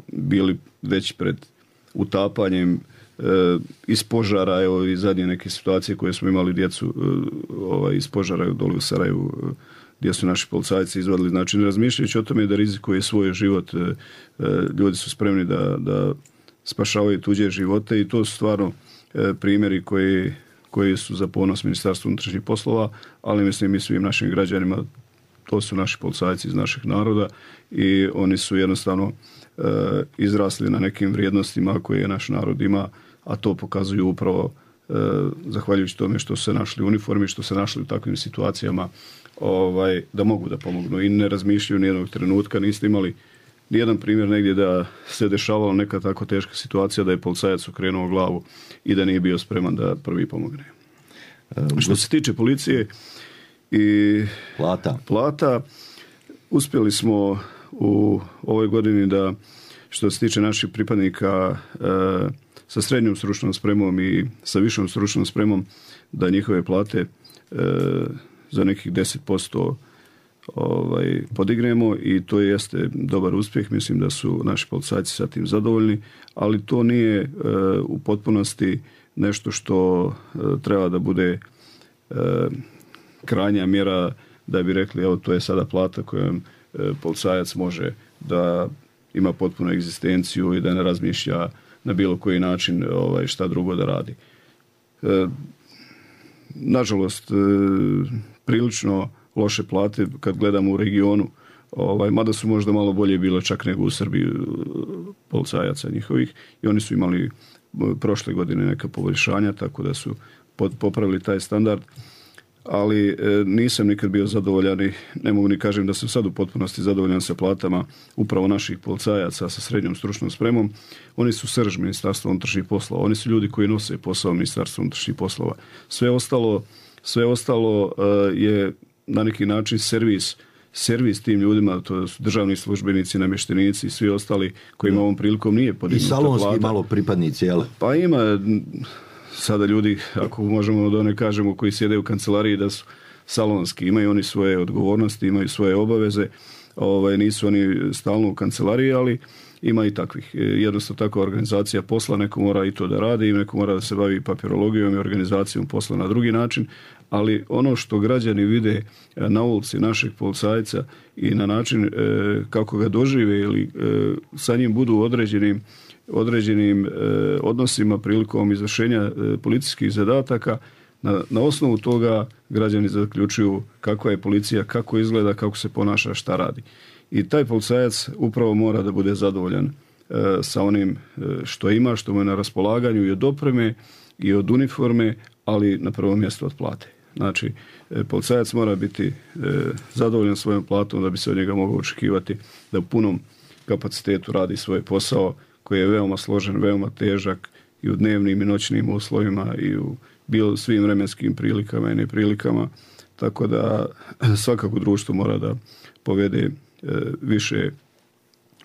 Speaker 13: bili već pred utapanjem, e, iz požara, evo i zadnje neke situacije koje smo imali djecu e, ovaj, iz požara dole u Sarajevu, e, gdje su naši policajci izvadili. Znači, ne razmišljajući o tome da rizikuje svoj život, e, e, ljudi su spremni da, da spašavaju tuđe živote, i to su stvarno e, primjeri koji, koji su za ponos Ministarstva unutrašnjih poslova, ali mislim i svim našim građanima. To su naši policajci iz našeg naroda i oni su jednostavno e, izrasli na nekim vrijednostima koje naš narod ima, a to pokazuju upravo e, zahvaljujući tome što su se našli u uniformi, što se našli u takvim situacijama, ovaj, da mogu da pomognu i ne razmišljaju nijednog trenutka. Niste imali nijedan primjer negdje da se dešavala neka tako teška situacija da je policajac okrenuo glavu i da nije bio spreman da prvi pomogne. E, što se tiče policije i
Speaker 12: plata.
Speaker 13: plata, uspjeli smo u ovoj godini da, što se tiče naših pripadnika e, sa srednjom stručnom spremom i sa višom stručnom spremom, da njihove plate e, za nekih deset posto ovaj, podignemo, i to jeste dobar uspjeh. Mislim da su naši policajci sa tim zadovoljni, ali to nije e, u potpunosti nešto što e, treba da bude e, krajnja mjera da bi rekli evo to je sada plata kojom e, policajac može da ima potpunu egzistenciju i da ne razmišlja na bilo koji način ovaj, šta drugo da radi. E, nažalost, e, prilično loše plate kad gledamo u regionu, ovaj, mada su možda malo bolje bilo čak nego u Srbiji policajaca njihovih, i oni su imali prošle godine neka poboljšanja, tako da su pod, popravili taj standard, ali e, nisam nikad bio zadovoljan i ne mogu ni kažem da sam sad u potpunosti zadovoljan sa platama upravo naših policajaca sa srednjom stručnom spremom. Oni su srž Ministarstva unutrašnjih poslova, oni su ljudi koji nose posao Ministarstva unutrašnjih poslova. Sve ostalo, sve ostalo e, je na neki način servis, servis tim ljudima, to su državni službenici, namještenici i svi ostali kojima ovom prilikom nije podignuta plata.
Speaker 12: I salonski malo pripadnici, jel?
Speaker 13: Pa ima sada ljudi, ako možemo da ne kažemo, koji sjede u kancelariji da su salonski, imaju oni svoje odgovornosti, imaju svoje obaveze, ovaj, nisu oni stalno u kancelariji, ali ima i takvih. Jednostavno takva organizacija posla, neko mora i to da radi, i neko mora da se bavi papirologijom i organizacijom posla na drugi način, ali ono što građani vide na ulici našeg policajca i na način e, kako ga dožive ili e, sa njim budu određenim određenim e, odnosima prilikom izvršenja e, policijskih zadataka, na, na osnovu toga građani zaključuju kakva je policija, kako izgleda, kako se ponaša, šta radi. I taj policajac upravo mora da bude zadovoljan e, sa onim e, što ima, što mu je na raspolaganju i od opreme i od uniforme, ali na prvom mjestu od plate. Znači, e, policajac mora biti e, zadovoljan svojom platom da bi se od njega moglo očekivati da u punom kapacitetu radi svoj posao koji je veoma složen, veoma težak i u dnevnim i noćnim uslovima i u bilo svim vremenskim prilikama i neprilikama. Tako da svakako društvo mora da povede e, više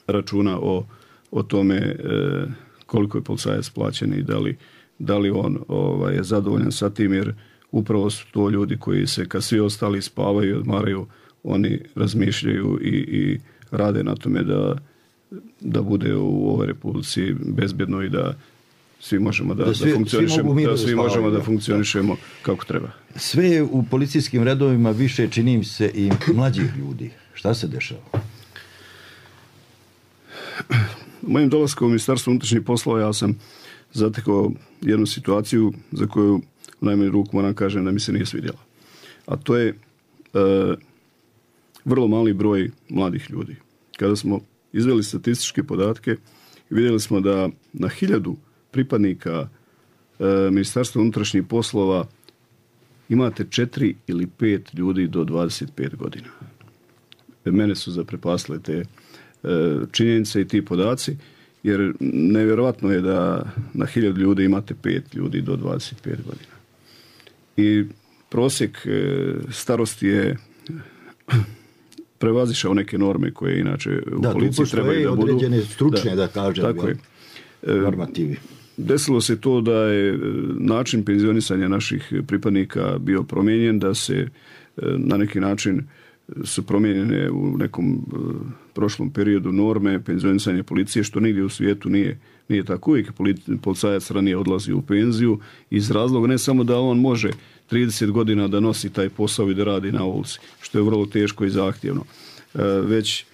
Speaker 13: računa o, o tome e, koliko je policajac plaćen i da li, da li on ovaj, je zadovoljan sa tim, jer upravo su to ljudi koji se kad svi ostali spavaju i odmaraju, oni razmišljaju i, i rade na tome da, da bude u ovoj Republici bezbjedno i da svi možemo da,
Speaker 12: da, svi,
Speaker 13: da funkcionišemo,
Speaker 12: svi,
Speaker 13: da, svi možemo da
Speaker 12: da.
Speaker 13: funkcionišemo kako treba.
Speaker 12: Sve je u policijskim redovima više, čini se, i mlađih ljudi. Šta se dešava?
Speaker 13: Mojim dolaskom u Ministarstvo unutrašnjih poslova ja sam zatekao jednu situaciju za koju u najmanju ruku moram kažem da mi se nije svidjela. A to je e, vrlo mali broj mladih ljudi. Kada smo izveli statističke podatke, vidjeli smo da na hiljadu pripadnika e, Ministarstva unutrašnjih poslova imate četiri ili pet ljudi do dvadeset pet godina. Mene su zaprepastile te e, činjenice i ti podaci, jer nevjerovatno je da na hiljadu ljudi imate pet ljudi do dvadeset pet godina. I prosjek e, starosti je prevazišao neke norme koje inače u
Speaker 12: da,
Speaker 13: policiji trebaju da budu.
Speaker 12: Da, tu postoje određene stručne, da, da kažem,
Speaker 13: tako je.
Speaker 12: normativi.
Speaker 13: Desilo se to da je način penzionisanja naših pripadnika bio promijenjen, da se na neki način su promijenjene u nekom prošlom periodu norme penzionisanja policije, što nigdje u svijetu nije, nije tako. Uvijek policajac ranije odlazi u penziju iz razloga ne samo da on može trideset godina da nosi taj posao i da radi na ulici, što je vrlo teško i zahtjevno, već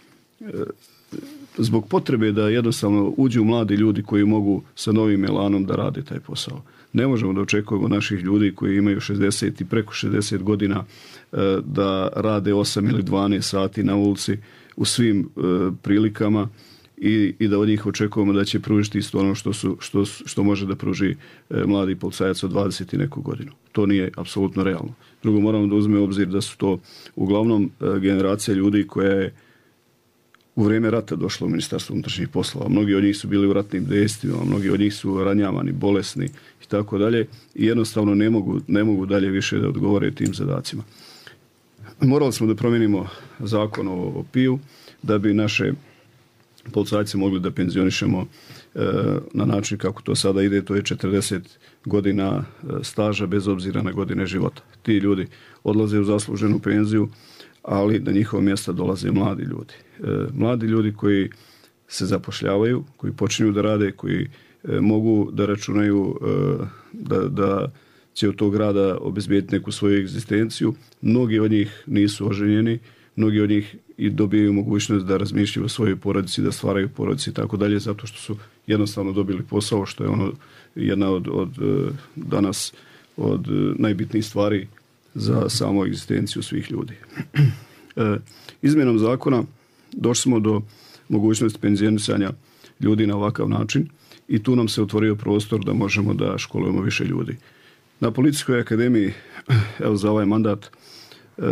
Speaker 13: zbog potrebe da jednostavno uđu mladi ljudi koji mogu sa novim elanom da rade taj posao. Ne možemo da očekujemo naših ljudi koji imaju šezdeset i preko šezdeset godina da rade osam ili dvanaest sati na ulici u svim prilikama i, i da od njih očekujemo da će pružiti isto ono što, su, što, što može da pruži mladi policajac od dvadeset i neku godinu. To nije apsolutno realno. Drugo, moramo da uzmemo u obzir da su to uglavnom generacija ljudi koja je u vrijeme rata došlo u Ministarstvo unutrašnjih poslova. Mnogi od njih su bili u ratnim dejstvima, mnogi od njih su ranjavani, bolesni i tako dalje i jednostavno ne mogu, ne mogu dalje više da odgovore tim zadacima. Morali smo da promijenimo zakon o, o P I U da bi naše policajce mogli da penzionišemo e, na način kako to sada ide, to je četrdeset godina staža bez obzira na godine života. Ti ljudi odlaze u zasluženu penziju, ali na njihovo mjesta dolaze mladi ljudi. E, mladi ljudi koji se zapošljavaju, koji počinju da rade, koji e, mogu da računaju e, da, da će od tog rada obezbijediti neku svoju egzistenciju. Mnogi od njih nisu oženjeni, mnogi od njih i dobijaju mogućnost da razmišljaju o svojoj porodici, da stvaraju porodici i tako dalje, zato što su jednostavno dobili posao, što je ono jedna od, od danas od najbitnijih stvari za samu egzistenciju svih ljudi. E, izmjenom zakona došli smo do mogućnosti penzionisanja ljudi na ovakav način i tu nam se otvorio prostor da možemo da školujemo više ljudi. Na Policijskoj akademiji, evo za ovaj mandat e,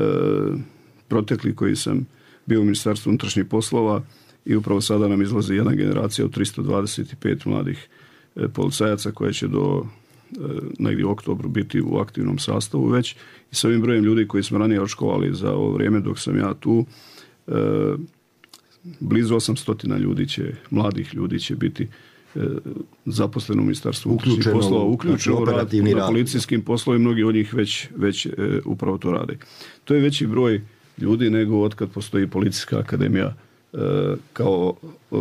Speaker 13: protekli koji sam bio u Ministarstvu unutrašnjih poslova i upravo sada nam izlazi jedna generacija od tristo dvadeset pet mladih e, policajaca koja će do e, negdje u oktobru biti u aktivnom sastavu već i s ovim brojem ljudi koji smo ranije odškolovali za ovo vrijeme dok sam ja tu, e, blizu osamsto ljudi će, mladih ljudi će biti e, zaposleno u Ministarstvu unutrašnjih poslova, uključeno u rad na policijskim poslovima, mnogi od njih već, već e, upravo to rade. To je veći broj ljudi nego otkad postoji Policijska akademija e, kao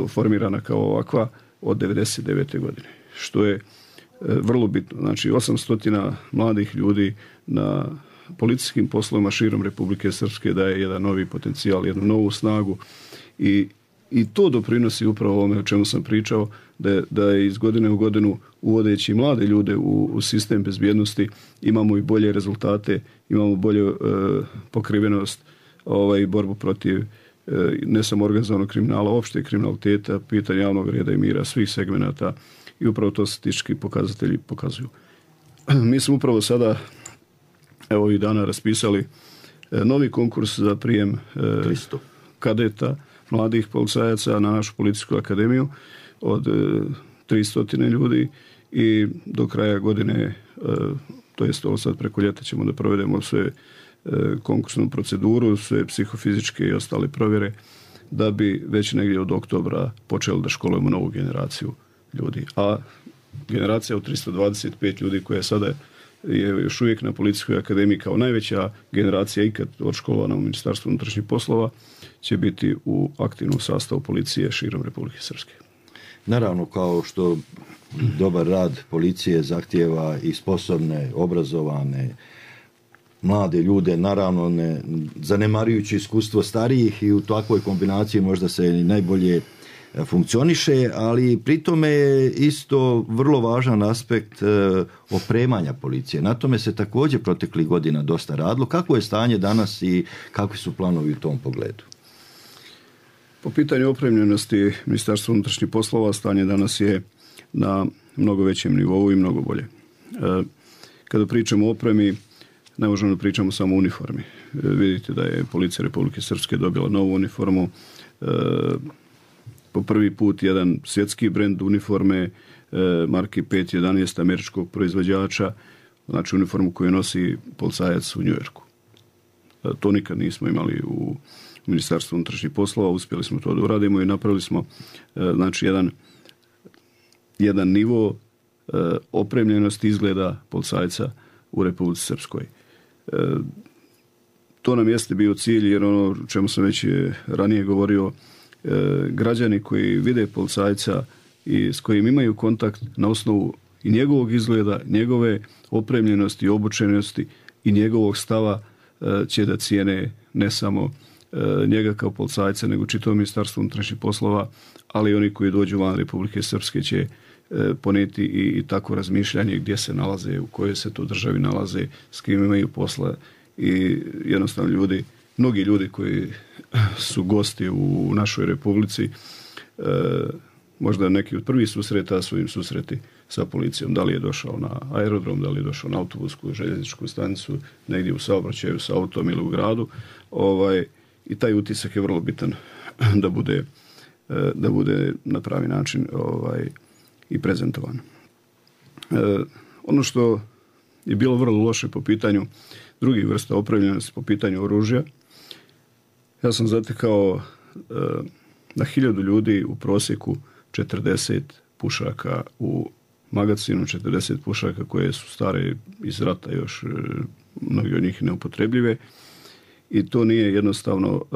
Speaker 13: formirana kao ovakva od devedeset devete godine, što je e, vrlo bitno. Znači osamsto mladih ljudi na policijskim poslovima širom Republike Srpske daje jedan novi potencijal, jednu novu snagu i, i to doprinosi upravo ovome o čemu sam pričao, da, da je iz godine u godinu uvodeći mlade ljude u, u sistem bezbjednosti imamo i bolje rezultate, imamo bolju e, pokrivenost ovaj, borbu protiv e, ne samo organizovanog kriminala, opšte kriminaliteta, pitanja javnog reda i mira, svih segmenata i upravo to statistički pokazatelji pokazuju. Mi smo upravo sada evo ovih dana raspisali e, novi konkurs za prijem e, kadeta, mladih policajaca na našu Policijsku akademiju od e, tristo ljudi i do kraja godine, e, to jest ovo sad preko ljeta ćemo da provedemo sve e, konkursnu proceduru, sve psihofizičke i ostale provjere da bi već negdje od oktobra počeli da školujemo novu generaciju ljudi. A generacija od tristo dvadeset pet ljudi koja sada je još uvijek na Policijskoj akademiji kao najveća generacija ikad odškolovana u Ministarstvu unutrašnjih poslova će biti u aktivnom sastavu policije širom Republike Srpske.
Speaker 12: Naravno, kao što dobar rad policije zahtijeva i sposobne, obrazovane, mlade ljude, naravno ne zanemarujući iskustvo starijih, i u takvoj kombinaciji možda se i najbolje funkcioniše, ali pri tome je isto vrlo važan aspekt opremanja policije. Na tome se također proteklih godina dosta radilo. Kako je stanje danas i kakvi su planovi u tom pogledu?
Speaker 13: Po pitanju opremljenosti Ministarstva unutrašnjih poslova stanje danas je na mnogo većem nivou i mnogo bolje. Kada pričamo o opremi, ne možemo da pričamo samo o uniformi. Vidite da je Policija Republike Srpske dobila novu uniformu, po prvi put jedan svjetski brend uniforme marke pet jedanaest američkog proizvođača, znači uniformu koju nosi policajac u Njujorku. To nikad nismo imali u Ministarstvu unutrašnjih poslova, uspjeli smo to da uradimo i napravili smo znači jedan, jedan nivo opremljenosti izgleda policajca u Republici Srpskoj. To nam jeste bio cilj, jer ono o čemu sam već ranije govorio, građani koji vide policajca i s kojim imaju kontakt na osnovu i njegovog izgleda, njegove opremljenosti, obučenosti i njegovog stava će da cijene ne samo njega kao policajca, nego čitavo Ministarstvo unutrašnjih poslova, ali oni koji dođu van Republike Srpske će poneti i, i tako razmišljanje gdje se nalaze, u kojoj se to državi nalaze, s kim imaju posla, i jednostavno ljudi, mnogi ljudi koji su gosti u našoj Republici, e, možda neki od prvih susreta su im susreti sa policijom, da li je došao na aerodrom, da li je došao na autobusku, željezničku stanicu, negdje u saobraćaju sa autom ili u gradu, ovaj, i taj utisak je vrlo bitan da bude, da bude na pravi način ovaj, i prezentovan. E, ono što je bilo vrlo loše po pitanju drugih vrsta opremljenosti, po pitanju oružja, ja sam zatekao e, na hiljadu ljudi u prosjeku četrdeset pušaka u magacinu, četrdeset pušaka koje su stare iz rata, još e, mnogi od njih neupotrebljive, i to nije jednostavno e,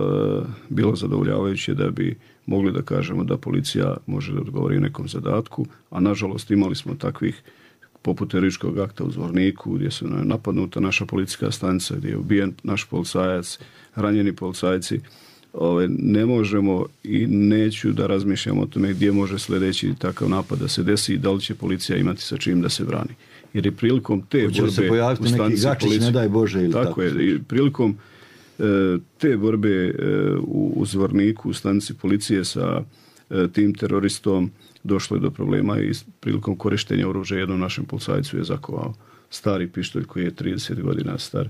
Speaker 13: bilo zadovoljavajuće da bi mogli da kažemo da policija može da odgovori nekom zadatku, a nažalost imali smo takvih poput terorističkog akta u Zvorniku, gdje su napadnuta naša policijska stanica, gdje je ubijen naš policajac, ranjeni policajci. Ove, ne možemo i neću da razmišljam o tome gdje može sljedeći takav napad da se desi i da li će policija imati sa čim da se brani. Jer je prilikom te
Speaker 12: Hoće
Speaker 13: borbe
Speaker 12: se pojaviti
Speaker 13: u stanici
Speaker 12: neki gačić,
Speaker 13: policije,
Speaker 12: ne daj Bože, ili tako,
Speaker 13: tako je, i prilikom e, te borbe e, u, u Zvorniku, u stanici policije sa e, tim teroristom, došlo je do problema i prilikom korištenja oružja jednom našem policajcu je zakovao stari pištolj koji je trideset godina star,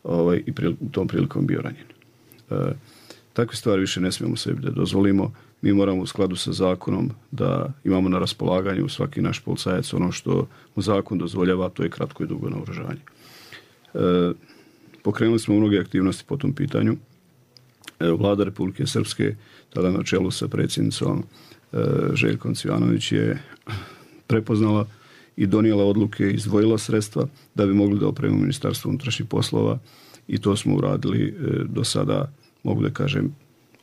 Speaker 13: ovaj, i u tom prilikom bio ranjen. E, takve stvari više ne smijemo sebi da dozvolimo. Mi moramo u skladu sa zakonom da imamo na raspolaganju svaki naš policajac ono što mu zakon dozvoljava, to je kratko i dugo naoružanje. E, pokrenuli smo mnoge aktivnosti po tom pitanju. E, Vlada Republike Srpske, tada na čelu sa predsjednicom Željkom Cvijanović, je prepoznala i donijela odluke, izdvojila sredstva da bi mogli da opremimo Ministarstvo unutrašnjih poslova, i to smo uradili do sada, mogu da kažem,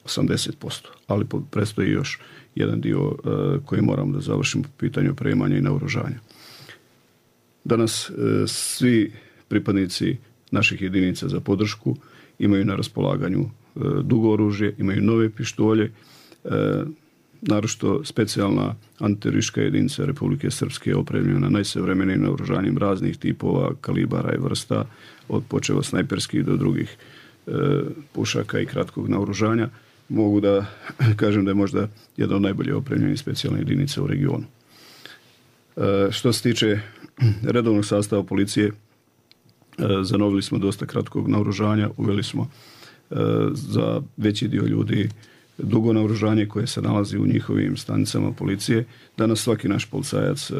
Speaker 13: osamdeset posto. Ali predstoji još jedan dio koji moramo da završimo po pitanju opremanja i naoružanja. Danas svi pripadnici naših jedinica za podršku imaju na raspolaganju dugo oružje, imaju nove pištolje, naročito specijalna antiteroristička jedinica Republike Srpske je opremljena najsavremenijim naoružanjem raznih tipova, kalibara i vrsta, od počeva snajperskih do drugih e, pušaka i kratkog naoružanja. Mogu da kažem da je možda jedna od najbolje opremljenih specijalnih jedinica u regionu. E, što se tiče redovnog sastava policije, e, zanovili smo dosta kratkog naoružanja, uveli smo e, za veći dio ljudi dugo naoružanje koje se nalazi u njihovim stanicama policije. Danas svaki naš policajac e,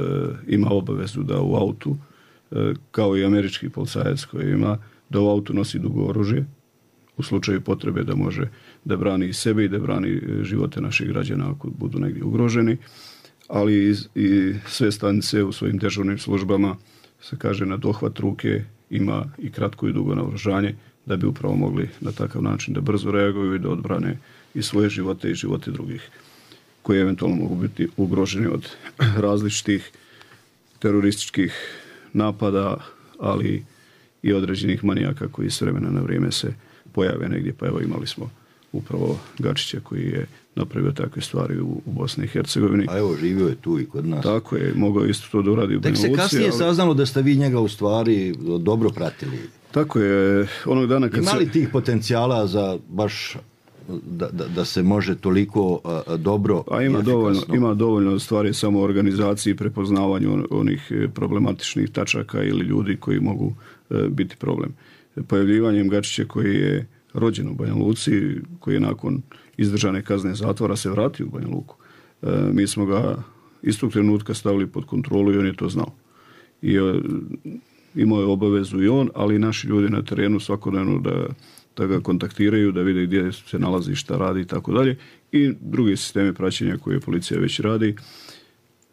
Speaker 13: ima obavezu da u autu, e, kao i američki policajac koji ima, da u autu nosi dugo oružje u slučaju potrebe da može da brani i sebe i da brani živote naših građana ako budu negdje ugroženi, ali i, i sve stanice u svojim dežurnim službama, se kaže, na dohvat ruke ima i kratko i dugo naoružanje da bi upravo mogli na takav način da brzo reaguju i da odbrane i svoje živote i živote drugih. koji eventualno mogu biti ugroženi od različitih terorističkih napada, ali i određenih manijaka koji s vremena na vrijeme se pojave negdje. Pa evo imali smo upravo Gačića koji je napravio takve stvari u, u Bosni i Hercegovini.
Speaker 12: A evo, živio je tu i kod nas.
Speaker 13: Tako je, mogao isto to da uradi u Banja Luci.
Speaker 12: Tek se kasnije
Speaker 13: ali...
Speaker 12: saznalo da ste vi njega u stvari dobro pratili.
Speaker 13: Tako je, onog dana kad
Speaker 12: Ima li
Speaker 13: se...
Speaker 12: tih potencijala za baš da, da, da se može toliko a, dobro
Speaker 13: A ima
Speaker 12: i
Speaker 13: dovoljno,
Speaker 12: efikasno?
Speaker 13: ima dovoljno stvari samo u organizaciji, prepoznavanju onih problematičnih tačaka ili ljudi koji mogu e, biti problem. Pojavljivanjem Gačića koji je rođen u Banja Luci, koji je nakon izdržane kazne zatvora se vratio u Banja Luku. E, mi smo ga istog trenutka stavili pod kontrolu i on je to znao. I e, imao je obavezu i on, ali i naši ljudi na terenu svakodnevno da, da ga kontaktiraju, da vide gdje se nalazi, šta radi i tako dalje. I drugi sistemi praćenja koje policija već radi.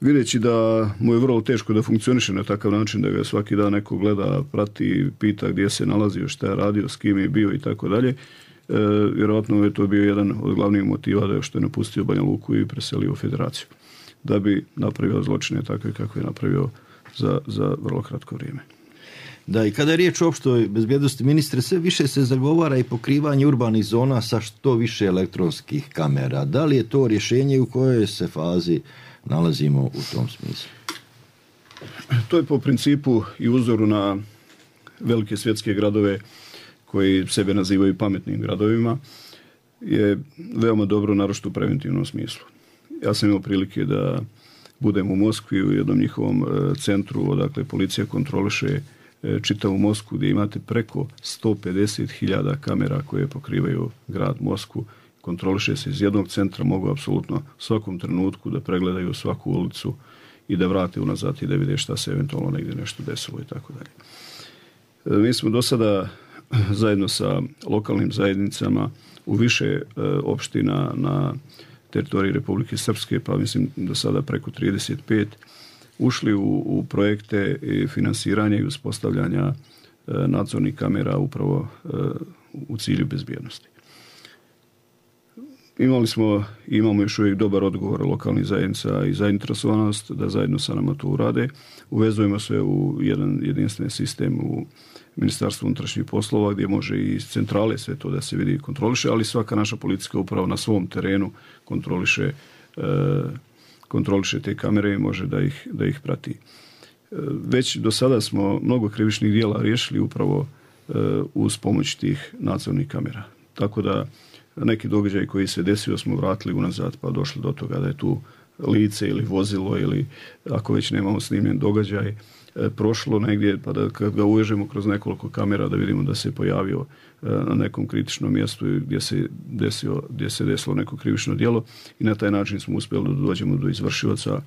Speaker 13: Videći da mu je vrlo teško da funkcioniše na takav način, da ga svaki dan neko gleda, prati, pita gdje se nalazio, šta je radio, s kim je bio i tako dalje. Vjerojatno je to bio jedan od glavnih motiva da što je napustio Banja Luku i preselio u Federaciju. Da bi napravio zločine takve kako je napravio za, za vrlo kratko vrijeme.
Speaker 12: Da, i kada je riječ o opštoj bezbjednosti, ministre, sve više se zagovara i pokrivanje urbanih zona sa što više elektronskih kamera. Da li je to rješenje, u kojoj se fazi nalazimo u tom smislu?
Speaker 13: To je po principu i uzoru na velike svjetske gradove koji sebe nazivaju pametnim gradovima, je veoma dobro, naročito u preventivnom smislu. Ja sam imao prilike da budem u Moskvi u jednom njihovom centru, odakle policija kontroliše čitavu Moskvu, gdje imate preko sto pedeset hiljada kamera koje pokrivaju grad Moskvu. Kontroliše se iz jednog centra, mogu apsolutno u svakom trenutku da pregledaju svaku ulicu i da vrate unazad i da vide šta se eventualno negdje nešto desilo i tako dalje. Mi smo do sada zajedno sa lokalnim zajednicama u više opština na teritoriji Republike Srpske, pa mislim do sada preko trideset pet, ušli u, u projekte i finansiranja i uspostavljanja nadzornih kamera upravo u cilju bezbjednosti. Imali smo i imamo još uvijek dobar odgovor lokalnih zajednica i zainteresovanost da zajedno sa nama to urade. Uvezujemo sve u jedan jedinstven sistem u Ministarstvu unutrašnjih poslova gdje može i iz centrale sve to da se vidi i kontroliše, ali svaka naša policijska uprava na svom terenu kontroliše, e, kontroliše te kamere i može da ih, da ih prati. E, već do sada smo mnogo krivičnih djela riješili upravo e, uz pomoć tih nadzornih kamera. Tako da neki događaj koji se desio smo vratili unazad pa došli do toga da je tu lice ili vozilo ili ako već nemamo snimljen događaj e, prošlo negdje pa da kad ga uvežemo kroz nekoliko kamera da vidimo da se pojavio e, na nekom kritičnom mjestu gdje se, desio, gdje se desilo neko krivično djelo i na taj način smo uspjeli da dođemo do izvršilaca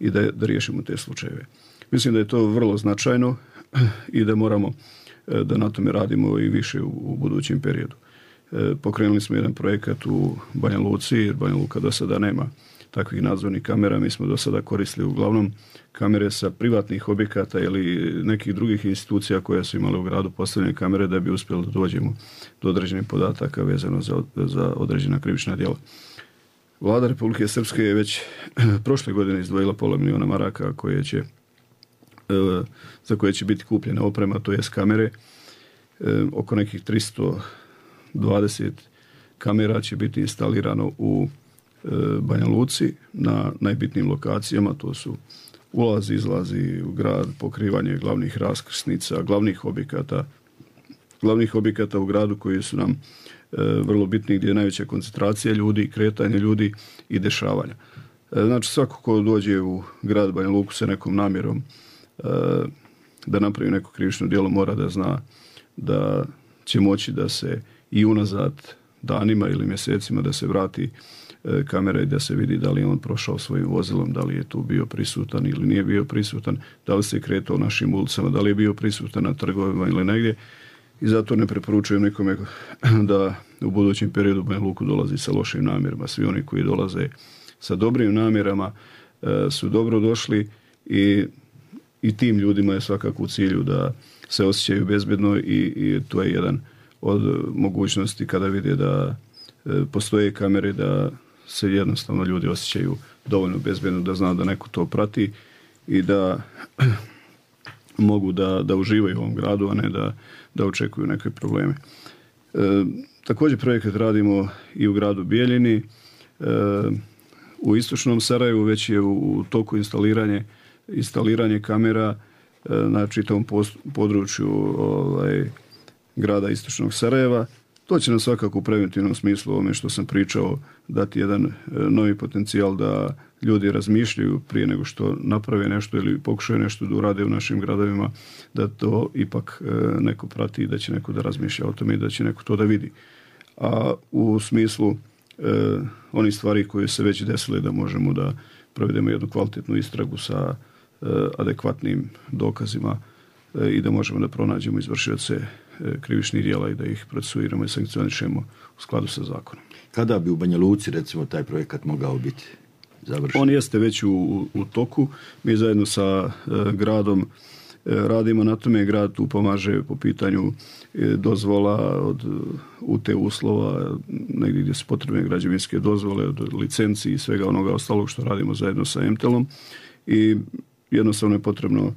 Speaker 13: i da, da riješimo te slučajeve. Mislim da je to vrlo značajno i da moramo e, da na tome radimo i više u, u budućem periodu. E, pokrenuli smo jedan projekat u Banja Luci, jer Banja Luka do sada nema takvih nadzornih kamera. Mi smo do sada koristili uglavnom kamere sa privatnih objekata ili nekih drugih institucija koje su imale u gradu postavljene kamere da bi uspjeli da dođemo do određenih podataka vezano za, za određena krivična djela. Vlada Republike Srpske je već prošle godine izdvojila pola miliona maraka koje će, e, za koje će biti kupljena oprema, to jest kamere. E, oko nekih tristo dvadeset kamera će biti instalirano u e, Banja Luci na najbitnijim lokacijama, to su ulazi, izlazi u grad, pokrivanje glavnih raskrsnica, glavnih objekata, glavnih objekata u gradu koji su nam e, vrlo bitni, gdje je najveća koncentracija ljudi, kretanje ljudi i dešavanja. E, znači svako ko dođe u grad Banja Luku sa nekom namjerom e, da napravi neko krivično djelo mora da zna da će moći da se i unazad danima ili mjesecima da se vrati e, kamera i da se vidi da li je on prošao svojim vozilom, da li je tu bio prisutan ili nije bio prisutan, da li se kretao našim ulicama, da li je bio prisutan na trgovima ili negdje. I zato ne preporučujem nikome da u budućem periodu Banja Luku dolazi sa lošim namjerama. Svi oni koji dolaze sa dobrim namjerama e, su dobro došli i, i tim ljudima je svakako u cilju da se osjećaju bezbjedno i, i to je jedan od mogućnosti kada vide da e, postoje kamere da se jednostavno ljudi osjećaju dovoljno bezbedno da zna da neko to prati i da mogu da, da uživaju u ovom gradu, a ne da, da očekuju neke probleme. E, također projekat radimo i u gradu Bijeljini. E, u istočnom Sarajevu već je u, u toku instaliranje, instaliranje kamera e, na čitavom post, području ovaj, grada istočnog Sarajeva. To će nam svakako u preventivnom smislu ovome što sam pričao dati jedan novi potencijal da ljudi razmišljaju prije nego što naprave nešto ili pokušaju nešto da urade u našim gradovima, da to ipak neko prati i da će neko da razmišlja o tome i da će neko to da vidi. A u smislu eh, onih stvari koje se već desile da možemo da provedemo jednu kvalitetnu istragu sa eh, adekvatnim dokazima eh, i da možemo da pronađemo izvršioce krivičnih djela i da ih procesuiramo i sankcionišemo u skladu sa zakonom.
Speaker 12: Kada bi u Banja Luci, recimo, taj projekat mogao biti završen?
Speaker 13: On jeste već u, u toku. Mi zajedno sa e, gradom e, radimo na tome. Grad tu pomaže po pitanju e, dozvola od U T uslova, negdje gdje su potrebne građevinske dozvole, od licenci i svega onoga ostalog što radimo zajedno sa Emtelom. I jednostavno je potrebno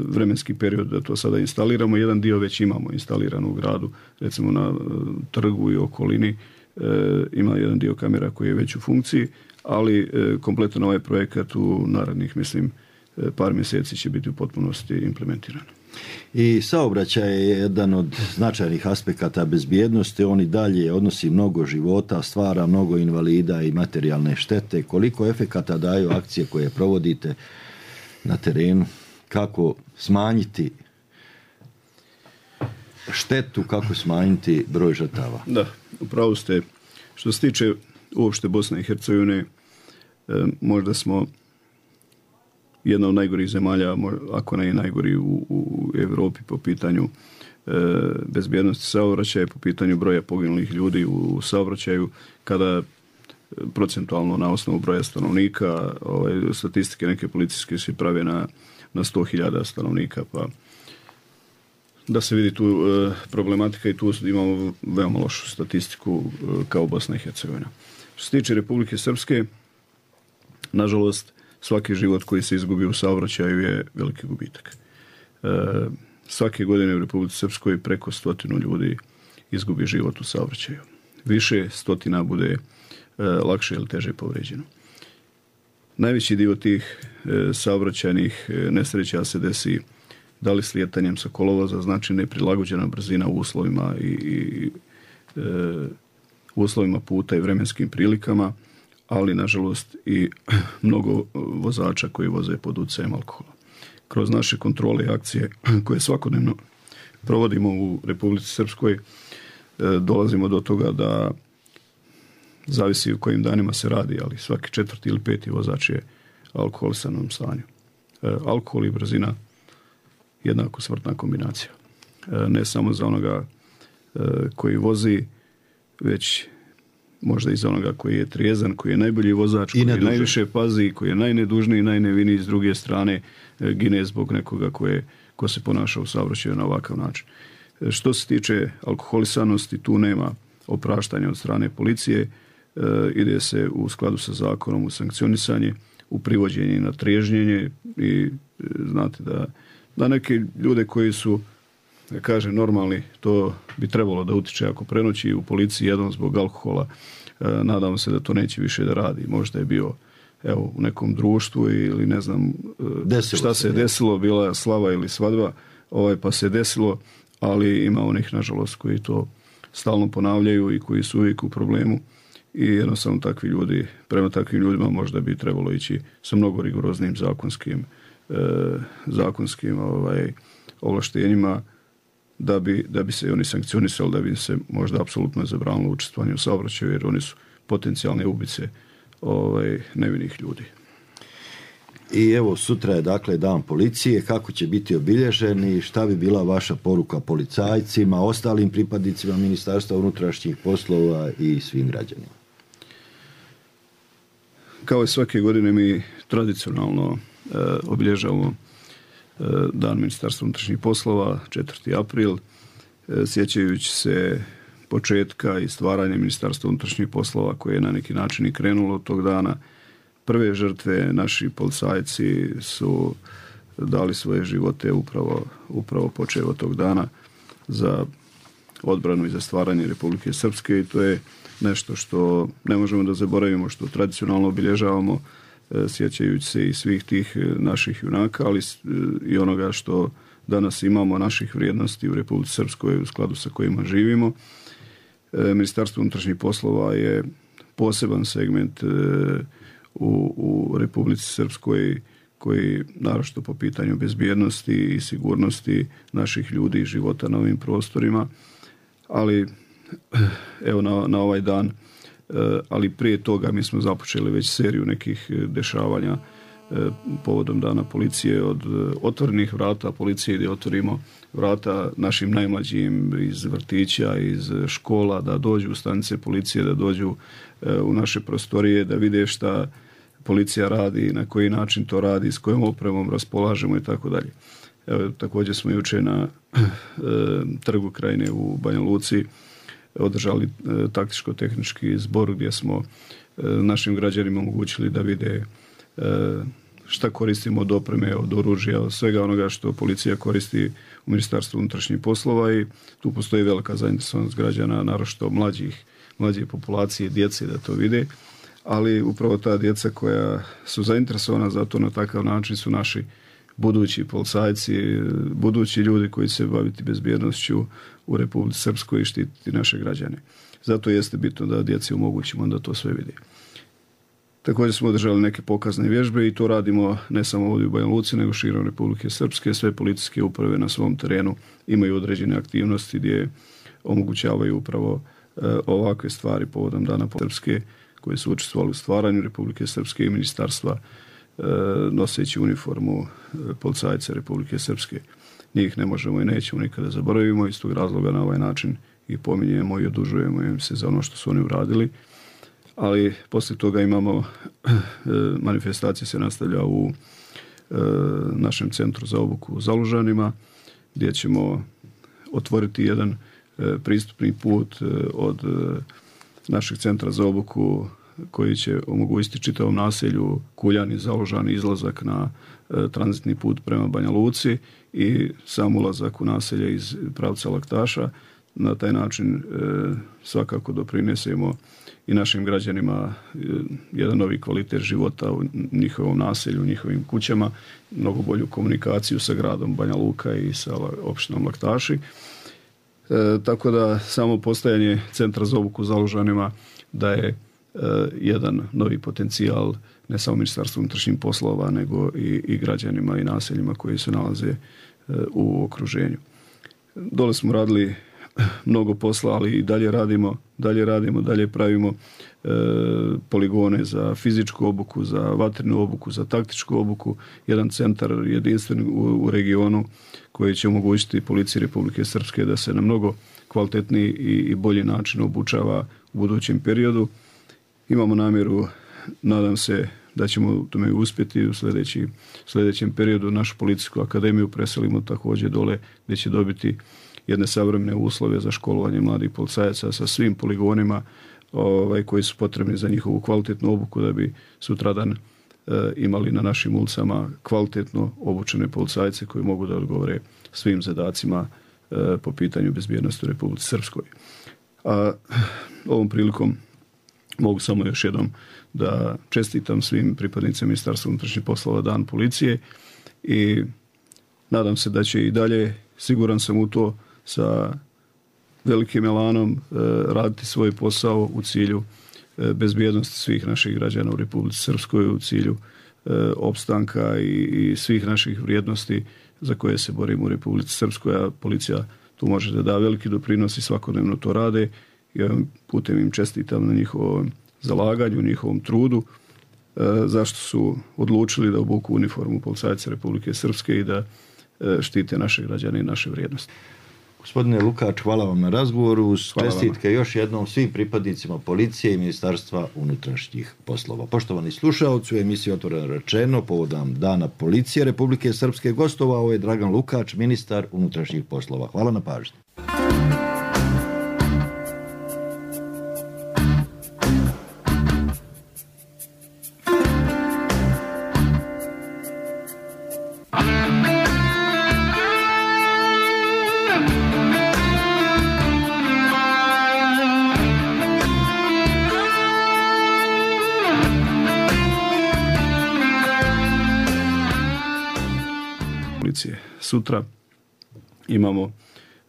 Speaker 13: vremenski period da to sada instaliramo. Jedan dio već imamo instalirano u gradu, recimo na trgu i okolini ima jedan dio kamera koji je već u funkciji, ali kompletan ovaj projekat u narednih, mislim, par mjeseci će biti u potpunosti implementiran.
Speaker 12: I saobraćaj je jedan od značajnih aspekata bezbjednosti, on i dalje odnosi mnogo života, stvara mnogo invalida i materijalne štete. Koliko efekata daju akcije koje provodite na terenu? Kako smanjiti štetu, kako smanjiti broj žrtava?
Speaker 13: Da, upravo ste. Što se tiče uopšte Bosne i Hercegovine, možda smo jedna od najgorih zemalja, ako ne i najgori u, u Europi po pitanju bezbjednosti saobraćaja, po pitanju broja poginulih ljudi u saobraćaju, kada procentualno na osnovu broja stanovnika, ovaj, statistike neke policijske se prave na na sto hiljada stanovnika, pa da se vidi tu e, problematika i tu imamo veoma lošu statistiku e, kao Bosna i Hercegovina. Što se tiče Republike Srpske, nažalost, svaki život koji se izgubi u saobraćaju je veliki gubitak. E, svake godine u Republici Srpskoj preko stotinu ljudi izgubi život u saobraćaju. Više stotina bude e, lakše ili teže povređeno. Najveći dio tih e, saobraćajnih e, nesreća se desi da li slijetanjem sa kolovoza, znači neprilagođena brzina u uslovima i, i e, uslovima puta i vremenskim prilikama, ali nažalost i mnogo vozača koji voze pod utjecajem alkohola. Kroz naše kontrole i akcije koje svakodnevno provodimo u Republici Srpskoj e, dolazimo do toga da zavisi u kojim danima se radi, ali svaki četvrti ili peti vozač je alkoholisanom stanju. E, alkohol i brzina jednako smrtna kombinacija. E, ne samo za onoga e, koji vozi, već možda i za onoga koji je trijezan, koji je najbolji vozač, koji je najviše pazi, koji je najnedužniji i najneviniji, s druge strane e, gine zbog nekoga koje, ko se ponaša u saobraćaju na ovakav način. E, što se tiče alkoholisanosti, tu nema opraštanja od strane policije. E, ide se u skladu sa zakonom u sankcionisanje, u privođenje i na triježnjenje i e, znate da, da neke ljude koji su, da kažem, normalni, to bi trebalo da utiče ako prenoći u policiji jednom zbog alkohola. E, nadamo se da to neće više da radi. Možda je bio evo, u nekom društvu ili ne znam e, šta se je desilo, bila slava ili svadba, ovaj, pa se desilo, ali ima onih, nažalost, koji to stalno ponavljaju i koji su uvijek u problemu. I jednostavno takvi ljudi, prema takvim ljudima možda bi trebalo ići sa mnogo rigoroznim zakonskim, e, zakonskim ovaj, ovlaštenjima da bi, da bi se oni sankcionisali, da bi se možda apsolutno zabranilo učestvovanje u saobraćaju, jer oni su potencijalne ubice ovaj, nevinih ljudi.
Speaker 12: I evo, sutra je dakle dan policije, kako će biti obilježen i šta bi bila vaša poruka policajcima, ostalim pripadnicima Ministarstva unutrašnjih poslova i svim građanima?
Speaker 13: Kao i svake godine mi tradicionalno e, obilježavamo e, dan Ministarstva unutrašnjih poslova, četvrti april, e, sjećajući se početka i stvaranja Ministarstva unutrašnjih poslova koje je na neki način i krenulo od tog dana. Prve žrtve naši policajci su dali svoje živote upravo, upravo počev od tog dana za odbranu i za stvaranje Republike Srpske i to je nešto što ne možemo da zaboravimo, što tradicionalno obilježavamo sjećajući se i svih tih naših junaka, ali i onoga što danas imamo, naših vrijednosti u Republici Srpskoj u skladu sa kojima živimo. Ministarstvo unutrašnjih poslova je poseban segment u, u Republici Srpskoj koji, naročito po pitanju bezbjednosti i sigurnosti naših ljudi i života na ovim prostorima, ali evo na, na ovaj dan, ali prije toga mi smo započeli već seriju nekih dešavanja povodom Dana policije, od otvorenih vrata policije gdje otvorimo vrata našim najmlađim iz vrtića, iz škola, da dođu u stanice policije, da dođu u naše prostorije, da vide šta policija radi, na koji način to radi, s kojom opremom raspolažemo i tako dalje. Evo, također smo jučer na e, Trgu Krajine u Banja Luci održali e, taktičko-tehnički zbor gdje smo e, našim građanima omogućili da vide e, šta koristimo od opreme, od oružja, od svega onoga što policija koristi u Ministarstvu unutrašnjih poslova i tu postoji velika zainteresovanost građana, naročito mlađih, mlađe populacije, djece da to vide, ali upravo ta djeca koja su zainteresovana za to na takav način su naši budući policajci, budući ljudi koji se baviti bezbjednošću u Republici Srpskoj i štititi naše građane. Zato jeste bitno da djeci omogućimo da to sve vidi. Također smo održali neke pokazne vježbe i to radimo ne samo ovdje u Banja Luci, nego širom Republike Srpske. Sve policijske uprave na svom terenu imaju određene aktivnosti gdje omogućavaju upravo e, ovakve stvari povodom Dana Srpske koji su učestvovali u stvaranju Republike Srpske i ministarstva e, noseći uniformu e, policajca Republike Srpske. Njih ne možemo i nećemo nikada zaboravimo, iz tog razloga na ovaj način i pominjemo i odužujemo im se za ono što su oni uradili. Ali poslije toga imamo, e, manifestacija se nastavlja u e, našem centru za obuku u Zalužanima, gdje ćemo otvoriti jedan e, pristupni put e, od e, našeg centra za obuku koji će omogućiti čitavom naselju Kuljani, Zalužani izlazak na e, tranzitni put prema Banja Luci i sam ulazak u naselje iz pravca Laktaša. Na taj način e, svakako doprinesemo i našim građanima e, jedan novi kvalitet života u njihovom naselju, u njihovim kućama, mnogo bolju komunikaciju sa gradom Banja Luka i sa opštinom Laktaši. E, tako da samo postojanje centra za obuku u Zalužanima da je e, jedan novi potencijal ne samo Ministarstvu unutrašnjih poslova, nego i, i građanima i naseljima koji se nalaze e, u okruženju. Dole smo radili mnogo posla, ali i dalje radimo, dalje radimo, dalje pravimo e, poligone za fizičku obuku, za vatrenu obuku, za taktičku obuku, jedan centar jedinstven u, u regionu koji će omogućiti policiji Republike Srpske da se na mnogo kvalitetniji i, i bolji način obučava u budućem periodu. Imamo namjeru, nadam se da ćemo u tome uspjeti u sljedeći, sljedećem periodu našu policijsku akademiju preselimo također dole gdje će dobiti jedne savremene uslove za školovanje mladih policajaca sa svim poligonima ovaj, koji su potrebni za njihovu kvalitetnu obuku da bi sutradan e, imali na našim ulicama kvalitetno obučene policajce koji mogu da odgovore svim zadacima e, po pitanju bezbjednosti u Republici Srpskoj. A ovom prilikom mogu samo još jednom da čestitam svim pripadnicima Ministarstva unutrašnjih poslova Dan policije i nadam se da će i dalje, siguran sam u to, sa velikim elanom e, raditi svoj posao u cilju e, bezbjednosti svih naših građana u Republici Srpskoj, u cilju e, opstanka i, i svih naših vrijednosti za koje se borimo u Republici Srpskoj, a policija tu može da da veliki doprinos i svakodnevno to rade. Ja putem im čestitam na njihovom zalaganju, njihovom trudu, e, zašto su odlučili da obuku uniformu policajca Republike Srpske i da e, štite naše građane i naše vrijednosti.
Speaker 12: Gospodine Lukač, hvala vam na razgovoru. Čestitke još jednom svim pripadnicima policije i Ministarstva unutrašnjih poslova. Poštovani slušaoci, u emisiji Otvoreno rečeno povodom Dana policije Republike Srpske gostovao je Dragan Lukač, ministar unutrašnjih poslova. Hvala na pažnji.
Speaker 13: policije. Sutra imamo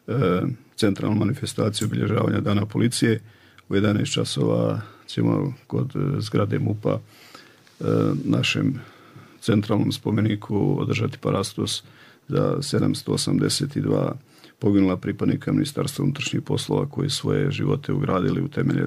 Speaker 13: e, centralnu manifestaciju obilježavanja Dana policije. U jedanaest časova ćemo kod zgrade MUP-a e, našem centralnom spomeniku održati parastos za sedamsto osamdeset dva poginula pripadnika Ministarstva unutrašnjih poslova koji svoje živote ugradili u temelje